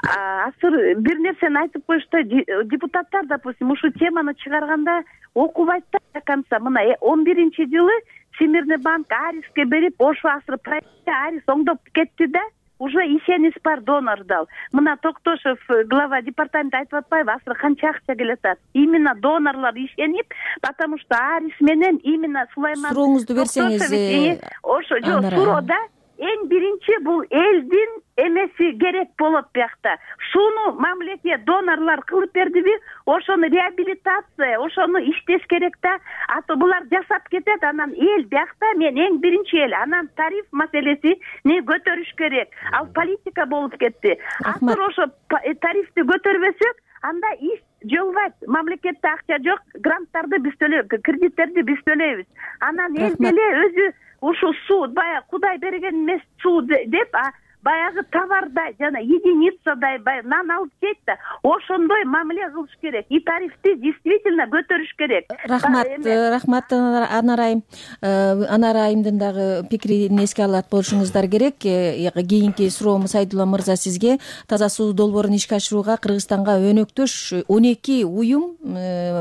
Азыр бир нерсени айтып коюшту, депутаттар, допустим, ушу теманы чыгарганда окубайт да до конца. Мына он биринчи жылы Всемирный банк Ариске берип, ошо азыр проектте Арис оңдоп кетти да, уже ишенич бар донор дал. Мына Токтошев, глава департамента айтып атпайбы, азыр канча акча келатат? Именно донорлор ишенип, потому что Арис менен именно Сулайман сурооңузду берсеңиз. Ошо жок, суроода эң биринчи бул элдин эмеси керек болот биякта. Шуну мамлекет донорлор кылып бердиби? Ошону реабилитация, ошону иштеш керек да. А то булар жасап кетет, анан эл биякта мен эң биринчи эл, анан тариф маселеси не көтөрүш керек. Ал политика болуп кетти. Азыр ошо тарифти көтөрбөсөк, анда иш жолбайт. Мамлекетте акча жок, гранттарды биз төлөйбүз, кредиттерди биз төлөйбүз. Анан эл деле өзү ушу суу, баягы Кудай берген эмес суу деп, а баягы товардай жана единицадай баягы нан алып жейт да, ошондой мамиле кылыш керек. И тарифти действительно көтөрүш керек. Рахмат, рахмат Анар айым. Анар айымдын дагы пикирин эске алат болушуңуздар керек. Кийинки суроом Сайдулла мырза сизге. Таза суу долбоорун ишке ашырууга Кыргызстанга өнөктөш он эки уюм,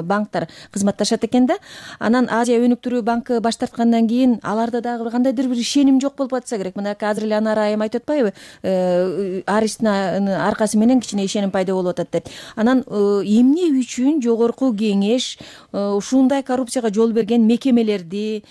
банктар кызматташат экен да. Анан Азия өнүктүрүү банкы баш тарткандан кийин аларда дагы кандайдыр бир ишеним жок болуп атса керек. Мына азыр эле Анар айым айтып атпайбы? Арistин аркасы менен кичине ишеним пайда болуп атат деп. Анан эмне үчүн жогорку кеңеш ушундай коррупцияга жол берген мекемелерди,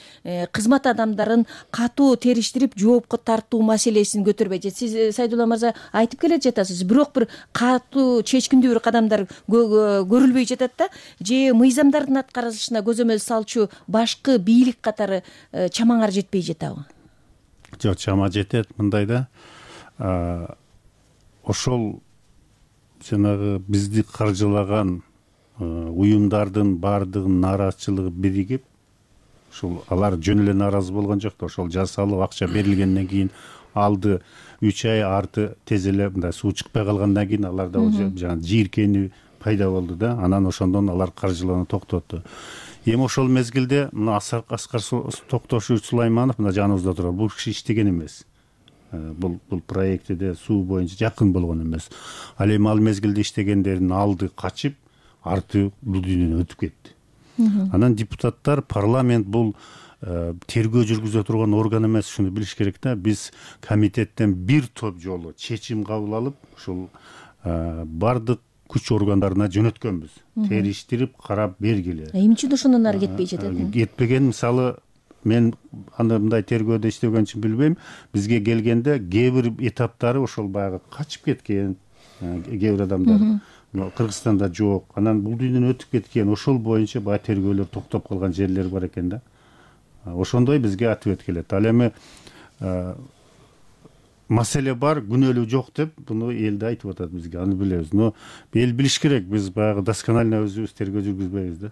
кызмат адамдарын катуу териштирип жоопко тартуу маселесин көтөрбөйт? Сиз Сайдулла мырза айтып келе жатасыз, бирок бир катуу чечкиндүү бир кадамдар көрүлбөй жатат да, же мыйзамдардын аткарылышына көзөмөл салчу башкы бийлик катары чамаңар жетпей жатабы? Жок, чама жетет. Мындайда ошол жанагы бизди каржылаган уюмдардын баардыгынын нааразычылыгы биригип, ошол алар жөн эле нааразы болгон жок да, ошол жасалып акча берилгенден кийин алды үч ай арты тез эле мындай суу чыкпай калгандан кийин аларда уже жана жийиркенүү пайда болду да, анан ошондон алар каржылоону токтотту. Эми ошол мезгилде мына Аскар Токтошевич Сулайманов мына жаныбызда турат. Бул киши иштеген эмес. Бул бул проектиде суу боюнча жакын болгон эмес. Ал эми ал мезгилде иштегендердин алды качып, арты бул дүйнөдөн өтүп кетти. Анан депутаттар, парламент бул тергөө жүргүзө турган орган эмес, шуну билиш керек да. Биз комитеттен бир топ жолу чечим кабыл алып, ушул бардык күч органдарына жөнөткөнбүз, териштирип карап бергиле. Эмне үчүн ошондон ары кетпей жатат? Кетпеген, мисалы мен аны мындай тергөөдө иштеген үчүн билбейм, бизге келгенде кээ бир этаптары ошол баягы качып кеткен кээ бир адамдар Кыргызстанда жок, анан бул дүйнөдөн өтүп кеткен, ошол боюнча баягы тергөөлөр токтоп калган жерлер бар экен да. Ошондой бизге ответ келет. Ал эми маселе бар, күнөөлүү жок деп буну эл да айтып атат бизге, аны билебиз. Но эл билиш керек, биз баягы досконально өзүбүз тергөө жүргүзбөйбүз да.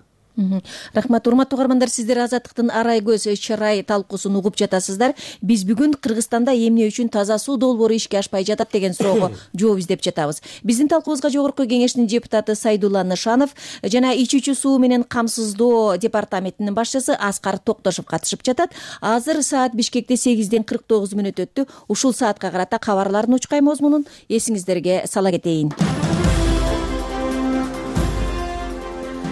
Рахмат. Урматтуу угармандар, сиздер Азаттыктын арай көз чырай талкуусун угуп жатасыздар. Биз бүгүн Кыргызстанда эмне үчүн таза суу долбоору ишке ашпай жатат деген суроого жооп издеп жатабыз. Биздин талкуубузга Жогорку Кеңештин депутаты Сайдулла Нышанов жана ичүүчү суу менен камсыздоо департаментинин башчысы Аскар Токтошов катышып жатат. Азыр саат Бишкекте сегизден кырк тогуз мүнөт өттү. Ушул саатка карата кабарлардын учкай мазмунун эсиңиздерге сала кетейин.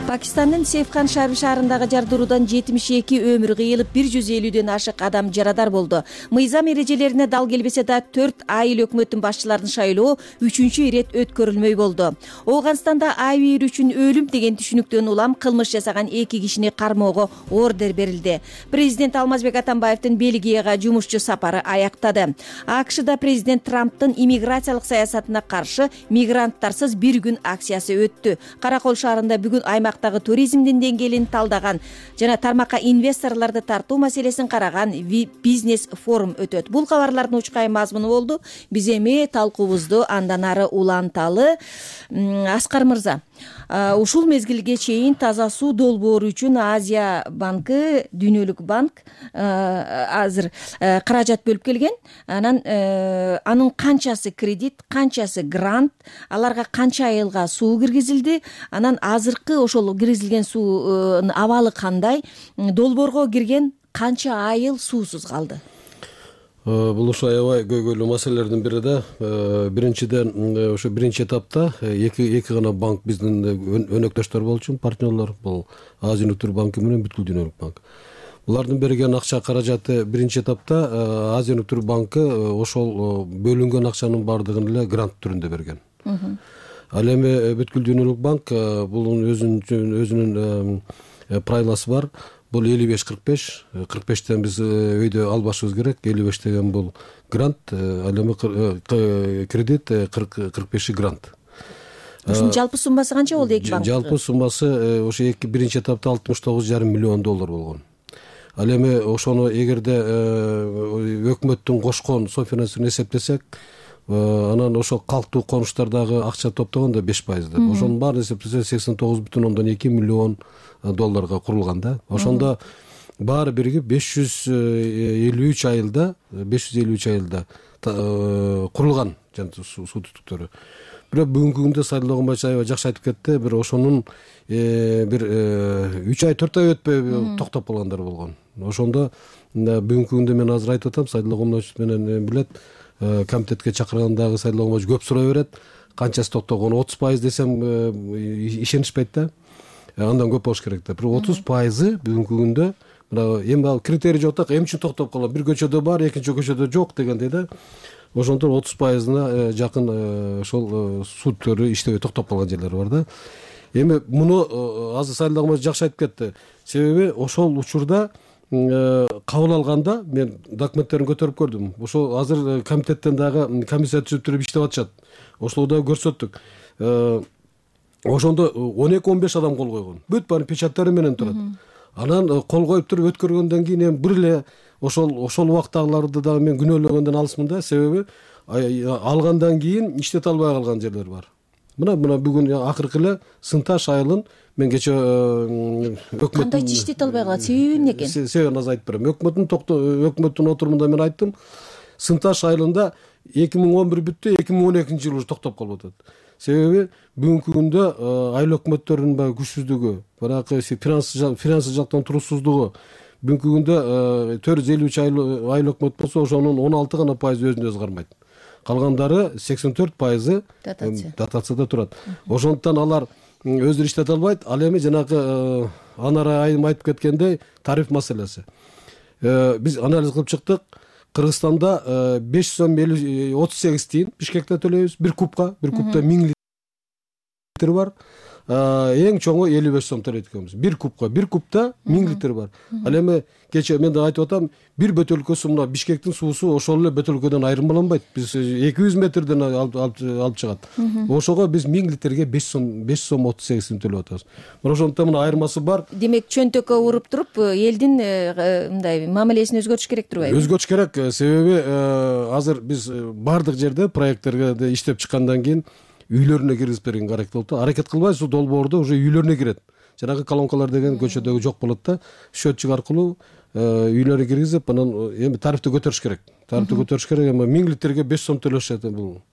Пакистандын Сейфхан шаарындагы жардыруудан жетимиш эки өмүр кыйылып, бир жүз элүүдөн ашык адам жарадар болду. Мыйзам эрежелерине дал келбесе да төрт айыл өкмөттүн башчыларын шайлоо үчүнчү ирет өткөрүлмөй болду. Оогунстанда айыл үчүн өлүм деген түшүнүктөн улам кылмыш жасаган эки кишини кармоого ордер берилди. Президент Алмазбек Атамбаевдин Бельгияга жумушчу сапары аяктады. АКШда президент Трамптын иммиграциялык саясатына каршы мигранттарсыз бир күн акциясы өттү. Каракол шаарында бүгүн аймак туризмдин деңгээлин талдаган жана тармакка инвесторлорду тартуу маселесин караган бизнес форум өтөт. Бул кабарлардын учкай мазмуну болду. Биз эми талкуубузду андан ары уланталы. Аскар мырза, ушул мезгилге чейин таза суу долбоору үчүн Азия банкы, Дүйнөлүк банк азыр каражат бөлүп келген. Анан анын канчасы кредит, канчасы грант, аларга канча айылга суу киргизилди, анан азыркы ошол киргизилген суунун абалы кандай, долбоорго кирген канча айыл суусуз калды? Бул ушу аябай көйгөйлүү маселелердин бири да. Биринчиден ошо биринчи этапта эки эки гана банк биздин өнөктөштөр болчу, партнерлор, бул Азия өнөктөр банкы менен бүткүл Дүйнөлүк банк. Булардын берген акча каражаты биринчи этапта Азия өнөктөр банкы ошол бөлүнгөн акчанын баардыгын эле грант түрүндө берген. Ал эми бүткүл Дүйнөлүк банк бул өзүнүн өзүнүн правиласы бар. Бул элүү беш кырк беш, кырк бештен биз өйдө албашыбыз керек. элүү беш деген бул грант, ал эми кредит, кырк беши грант. Ушунун жалпы суммасы канча болду эки банктын? Жалпы суммасы ошо эки биринчи этапта алтымыш тогуз жарым миллион доллар болгон. Ал эми ошону эгерде өкмөттүн кошкон софинансирование эсептесек, анан ошол калктуу конуштардагы акча топтогондо беш пайыз деп. Ошонун баарын эсептесе сексен тогуз бүтүн ондон эки миллион долларга курулган да. Ошондо баары биригип беш жүз элүү үч айылда, беш жүз элүү үч айылда курулган суу түтүктөрү. Бирок бүгүнкү күндө Сайдулла Кумбаев аябай жакшы айтып кетти. Бир ошонун бир үч ай төрт ай өтпөй токтоп калгандар болгон. Ошондо бүгүнкү күндө мен азыр айтып атам, Сайдулла Кумбаев менен билет, комитетке чакыргандагы Сайдулла Кумбаев көп сурай берет. Канчасы токтогон? отуз пайыз десем ишенишпейт да. Андан көп болуш керек да. Бирок отуз пайызы бүгүнкү күндө мына эми ал критерий жок да, эмне үчүн токтоп калган? Бир көчөдө бар, экинчи көчөдө жок дегендей да. Ошондон отуз пайызына жакын ошол судтөрү иштебей токтоп калган жерлер бар да. Эми муну азыр Сайдулла Кумбаев жакшы айтып кетти. Себеби ошол учурда кабыл алганда мен документтерин көтөрүп көрдүм. Ошол азыр комитеттен дагы комиссия түзүп иштеп атышат. Ошол дагы көрсөттүк. Ошондо он эки он беш адам кол койгон. Бүт баары печаттары менен турат. Анан кол коюп туруп өткөргөндөн кийин эми бир эле ошол ошол убактагыларды дагы мен күнөөлөгөндөн алысмын да. Себеби алгандан кийин иштете албай калган жерлер бар. Мына мына бүгүн акыркы эле Сынташ айылын мен кече өкмөт кандай иштете албай калат? Себеби эмне экен? Себебин азыр айтып берем. Өкмөттүн өкмөттүн отурумунда мен айттым. Сынташ айылында эки миң он бир бүттү, эки миң он экинчи жылы токтоп калып атат. Себеби бүгүнкү күндө айыл өкмөттөрүнүн баягы күчсүздүгү, баягы финансы жактан туруксуздугу, бүгүнкү күндө төрт жүз элүү үч айыл өкмөт болсо, ошонун он алты гана пайызы өзүн өзү кармайт. Калгандары сексен төрт пайызы дотацияда турат. Ошондуктан алар өздөрү иштете албайт. Ал эми жанагы Анара айым айтып кеткендей тариф маселеси. Биз анализ кылып чыктык. Кыргызстанда беш жүз отуз сегиз тиын Бишкекте төлөйбүз бир кубка, бир кубта миң литр бар, эң чоңу элүү беш сом төлөйт экенбиз бир кубка. Бир кубта миң литр бар. Ал эми кечээ мен да айтып атам, бир бөтөлкөсү мына Бишкектин суусу ошол эле бөтөлкөдөн айырмаланбайт. Биз эки жүз метрден алып чыгат. Ошого биз миң литрге беш сом беш сом отуз сегиз тиын төлөп атабыз. Мына ошондуктан мына айырмасы бар. Демек чөнтөккө уруп туруп элдин мындай мамилесин өзгөртүш керек турбайбы? Өзгөртүш керек. Себеби азыр биз бардык жерде проекттерге иштеп чыккандан кийин үйлөрүнө киргизип берген аракет болуп да, аракет кылбайбыз, ушул долбоорду уже үйлөрүнө кирет. Жанагы колонкалар деген көчөдөгү жок болот да, счетчик аркылуу үйлөрүнө киргизип, анан эми тарифти көтөрүш керек. Тарифти көтөрүш керек, эми миң литрге беш сом төлөшөт бул.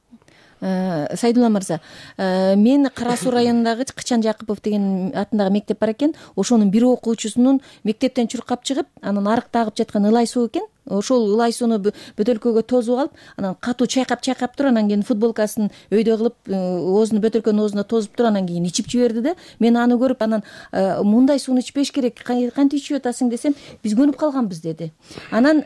Сайдулла мырза, мен Кара Суу районундагы Кычан Жакыпов деген атындагы мектеп бар экен. Ошонун бир окуучусунун мектептен чуркап чыгып, анан арыкта агып жаткан ылай суу экен. Ошол ылай сууну бөтөлкөгө тосуп алып, анан катуу чайкап-чайкап туруп, анан кийин футболкасын өйдө кылып, оозуну бөтөлкөнүн оозуна тосуп туруп, анан кийин ичип жиберди да. Мен аны көрүп, анан мындай сууну ичпеш керек, кантип ичип атасың десем, биз көнүп калганбыз деди. Анан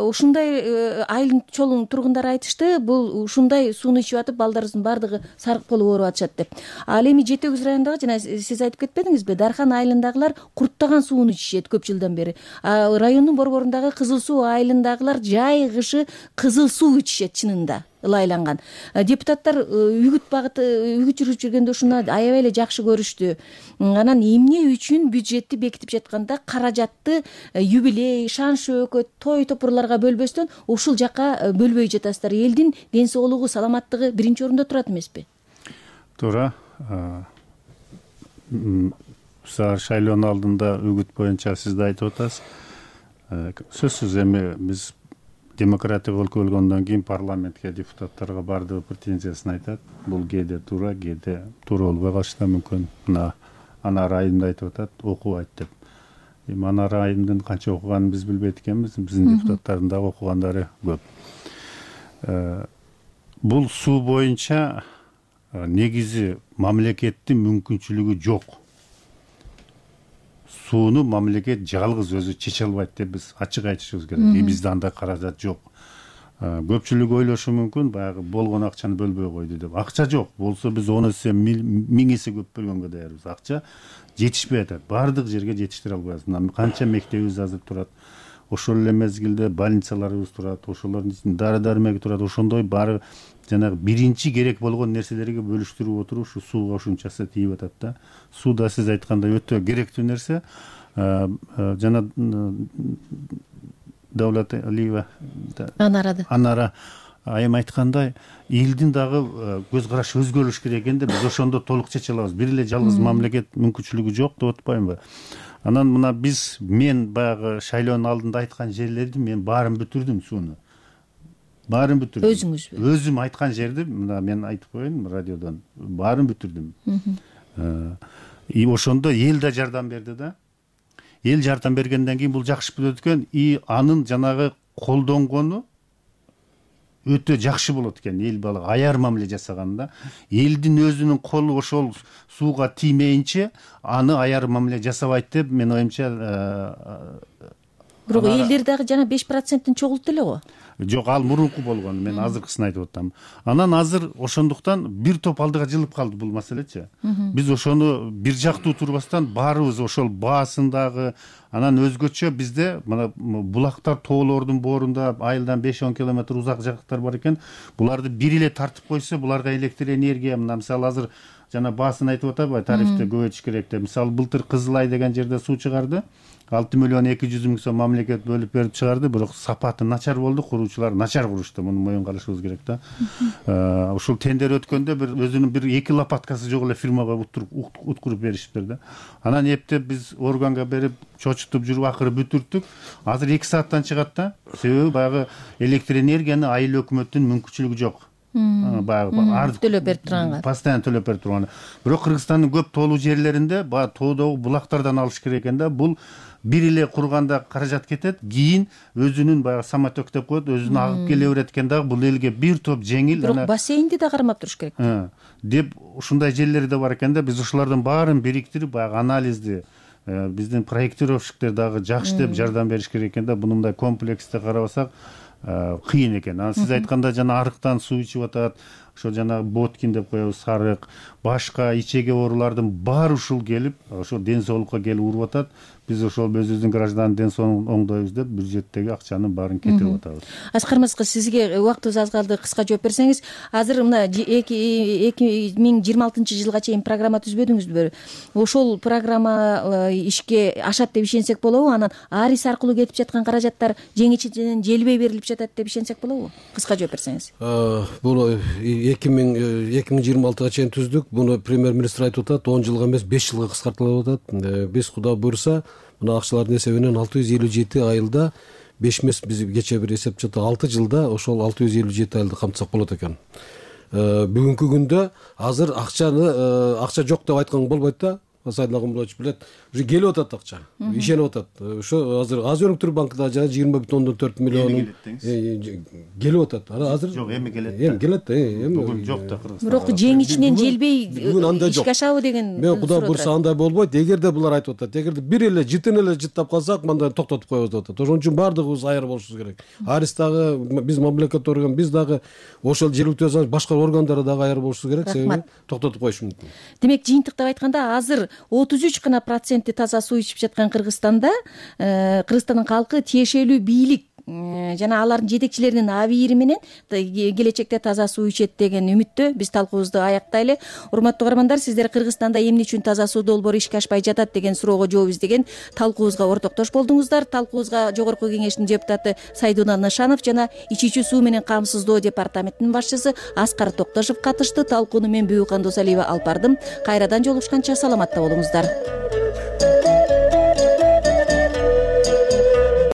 ушундай айылдын чолун тургундары айтышты, бул ушундай сууну ичип атып балдарыбыздын баардыгы сарык болуп ооруп атышат деп. Ал эми Жети Өгүз районундагы, жана сиз айтып кетпедиңизби, Дархан айылындагылар курттаган сууну ичишет көп жылдан бери. Райондун борборундагы Кызыл Суу айылындагылар жай кышы кызыл суу ичишет чынында. Ылайланган депутаттар үгүт багыты үгүт жүргүзүп жүргөндө ушуну аябай эле жакшы көрүштү. Анан эмне үчүн бюджетти бекитип жатканда каражатты юбилей, шан шөөкөт, той топурларга бөлбөстөн ушул жака бөлбөй жатасыздар? Элдин ден соолугу, саламаттыгы биринчи орунда турат эмеспи? Туура. Шайлоонун алдында үгүт боюнча сиз да айтып атасыз. Сөзсүз эми биз демократия өлкө болгондон кийин парламентке депутаттарга баардыгы претензиясын айтат. Бул кээде туура, кээде туура болбой калышы да мүмкүн. Мына Анар айымда айтып атат, окубайт деп. Эми Анар айымдын канча окуганын биз билбейт экенбиз. Биздин депутаттардын дагы окугандары көп. Бул суу боюнча негизи мамлекеттин мүмкүнчүлүгү жок. Сууну мамлекет жалгыз өзү чече албайт деп биз ачык айтышыбыз керек. Бизде андай каражат жок. Көпчүлүк ойлошу мүмкүн, баягы болгон акчаны бөлбөй койду деп. Акча жок. Болсо биз он эсе миң эсе көп бөлгөнгө даярбыз. Акча жетишпей атат. Бардык жерге жетиштире албайбыз. Мына канча мектебибиз азыр турат. Ошол эле мезгилде больницаларыбыз турат. Ошолордун ичинде дары-дармек турат. Ошондой баары жанагы биринчи керек болгон нерселерге бөлүштүрүп отуруп ушу сууга ушунчасы тийип атат да. Суу да сиз айткандай өтө керектүү нерсе. Жана Давлат Алиева Анарады. Анара айым айткандай, элдин дагы көз карашы өзгөрүш керек экен да, биз ошондо толук чече алабыз. Бир эле жалгыз мамлекет мүмкүнчүлүгү жок деп атпаймынбы? Анан мына биз мен баягы шайлоонун алдында айткан жерлерди мен баарын бүтүрдүм сууну. Баарын бүтүрдүм. Өзүңүзбү? Өзүм айткан жерди мына мен айтып коеюн радиодон. Баарын бүтүрдүм. И ошондо эл да жардам берди да. Эл жардам бергенден кийин бул жакшы болот экен. И анын жанагы колдонгону өтө жакшы болот экен. Эл бала аяр мамиле жасаганда, элдин өзүнүн колу ошол сууга тиймейинче аны аяр мамиле жасабайт деп мен оюмча. Бирок элдер дагы жана беш проценттин чогулту эле го. Жок, ал мурунку болгон. Мен азыркысын айтып атам. Анан азыр ошондуктан бир топ алдыга жылып калды бул маселечи. Биз ошону бир жактуу турбастан баарыбыз ошол баасындагы, анан өзгөчө бизде мына булактар, тоолордун боорунда айылдан беш он километр узак жактар бар экен. Буларды бир эле тартып койсо, буларга электр энергия, мына мисалы азыр жана баасын айтып атабы, тарифти көбөйтүш керек деп. Мисалы былтыр Кызыл Ай деген жерде суу чыгарды. алты миллион эки жүз миң сом мамлекет бөлүп берип чыгарды, бирок сапаты начар болду, куруучулар начар курушту. Муну моюнга алышыбыз керек да. Ушул тендер өткөндө бир өзүнүн бир эки лопаткасы жок эле фирмага уткуруп беришиптир да. Анан эптеп биз органга берип, чочутуп жүрүп акыры бүтүрттүк. Азыр эки сааттан чыгат да. Себеби баягы электр энергияны айыл өкмөттүн мүмкүнчүлүгү жок. Баягы төлөп берип турганга. Постоянно төлөп берип турган. Бирок Кыргызстандын көп тоолуу жерлеринде баягы тоодогу булактардан алыш керек экен да. Бул бир эле курганда каражат кетет, кийин өзүнүн баягы самотек деп коет, өзүн агып келе берет экен дагы. Бул элге бир топ жеңил. Бирок бассейнди да кармап туруш керек. Деп ушундай жерлери да бар экен да. Биз ушулардын баарын бириктирип, баягы анализди биздин проектировщиктер дагы жакшы деп жардам бериш керек экен да. Буну мындай комплексте карабасак, кыйын экен. Анан сиз айтканда жана арыктан суу ичип атат, ошо жанагы боткин деп коебуз, сарык, башка ичеге оорулардын баары ушул келип, ошо ден соолукка келип уруп атат. Биз ошол өзүбүздүн гражданын ден соолугун оңдойбуз деп бюджеттеги акчанын баарын кетирип атабыз. Аскар Мырза, сизге убактыбыз аз калды, кыска жооп берсеңиз. Азыр мына эки миң жыйырма алтынчы жылга чейин программа түзбөдүңүзбү? Ошол программа ишке ашат деп ишенсек болобу? Анан арис аркылуу кетип жаткан каражаттар жеңичинен желбей берилип жатат деп ишенсек болобу? Кыска жооп берсеңиз. Бул эки миң жыйырма алтыга чейин түздүк. Буну премьер министр айтып атат, он жылга эмес беш жылга кыскартылып атат. Биз Кудай буйруса мына акчалардын эсебинен алты жүз элүү жети айылда, беш эмес биз кечээ бир эсеп чыкты, алты жылда ошол алты жүз элүү жети айылды камтысак болот экен. Бүгүнкү күндө азыр акчаны акча жок деп айтканга болбойт да. Сайдын Агымбулович билет, уже келип атат акча, ишенип атат. Ошо азыр Азия өнүктүрүү банкында жана жыйырма бүтүн ондон төрт миллион келип атат. Азыр жок, эми келет. Эми келет, эми бүгүн жок да Кыргызстанда. Бирок жеңичинен желбей ишке ашабы деген. Мен Кудай буйруса андай болбойт. Эгерде булар айтып атат, эгерде бир эле жытын эле жыттап калсак, мындай токтотуп коебуз деп атат. Ошон үчүн баардыгыбыз аяр болушубуз керек. Арис дагы, биз мамлекеттик орган, биз дагы ошол жергиликтүү өзү башка органдар дагы аяр болушубуз керек, себеби токтотуп коюш мүмкүн. Демек, жыйынтыктап айтканда, азыр отуз үч гана проценти таза суу ичип жаткан Кыргызстанда Кыргызстандын калкы тиешелүү бийлик жана алардын жетекчилеринин абийири менен келечекте таза суу ичет деген үмүттө биз талкуубузду аяктайлы. Урматтуу угармандар, сиздер Кыргызстанда эмне үчүн таза суу долбоору ишке ашпай жатат деген суроого жооп издеген талкуубузга ортоктош болдуңуздар. Талкуубузга Жогорку Кеңештин депутаты Сайдунал Нышанов жана ичүүчү суу менен камсыздоо департаментинин башчысы Аскар Токтошов катышты. Талкууну мен Бүбүкан Досалиева алып бардым. Кайрадан жолугушканча саламатта болуңуздар.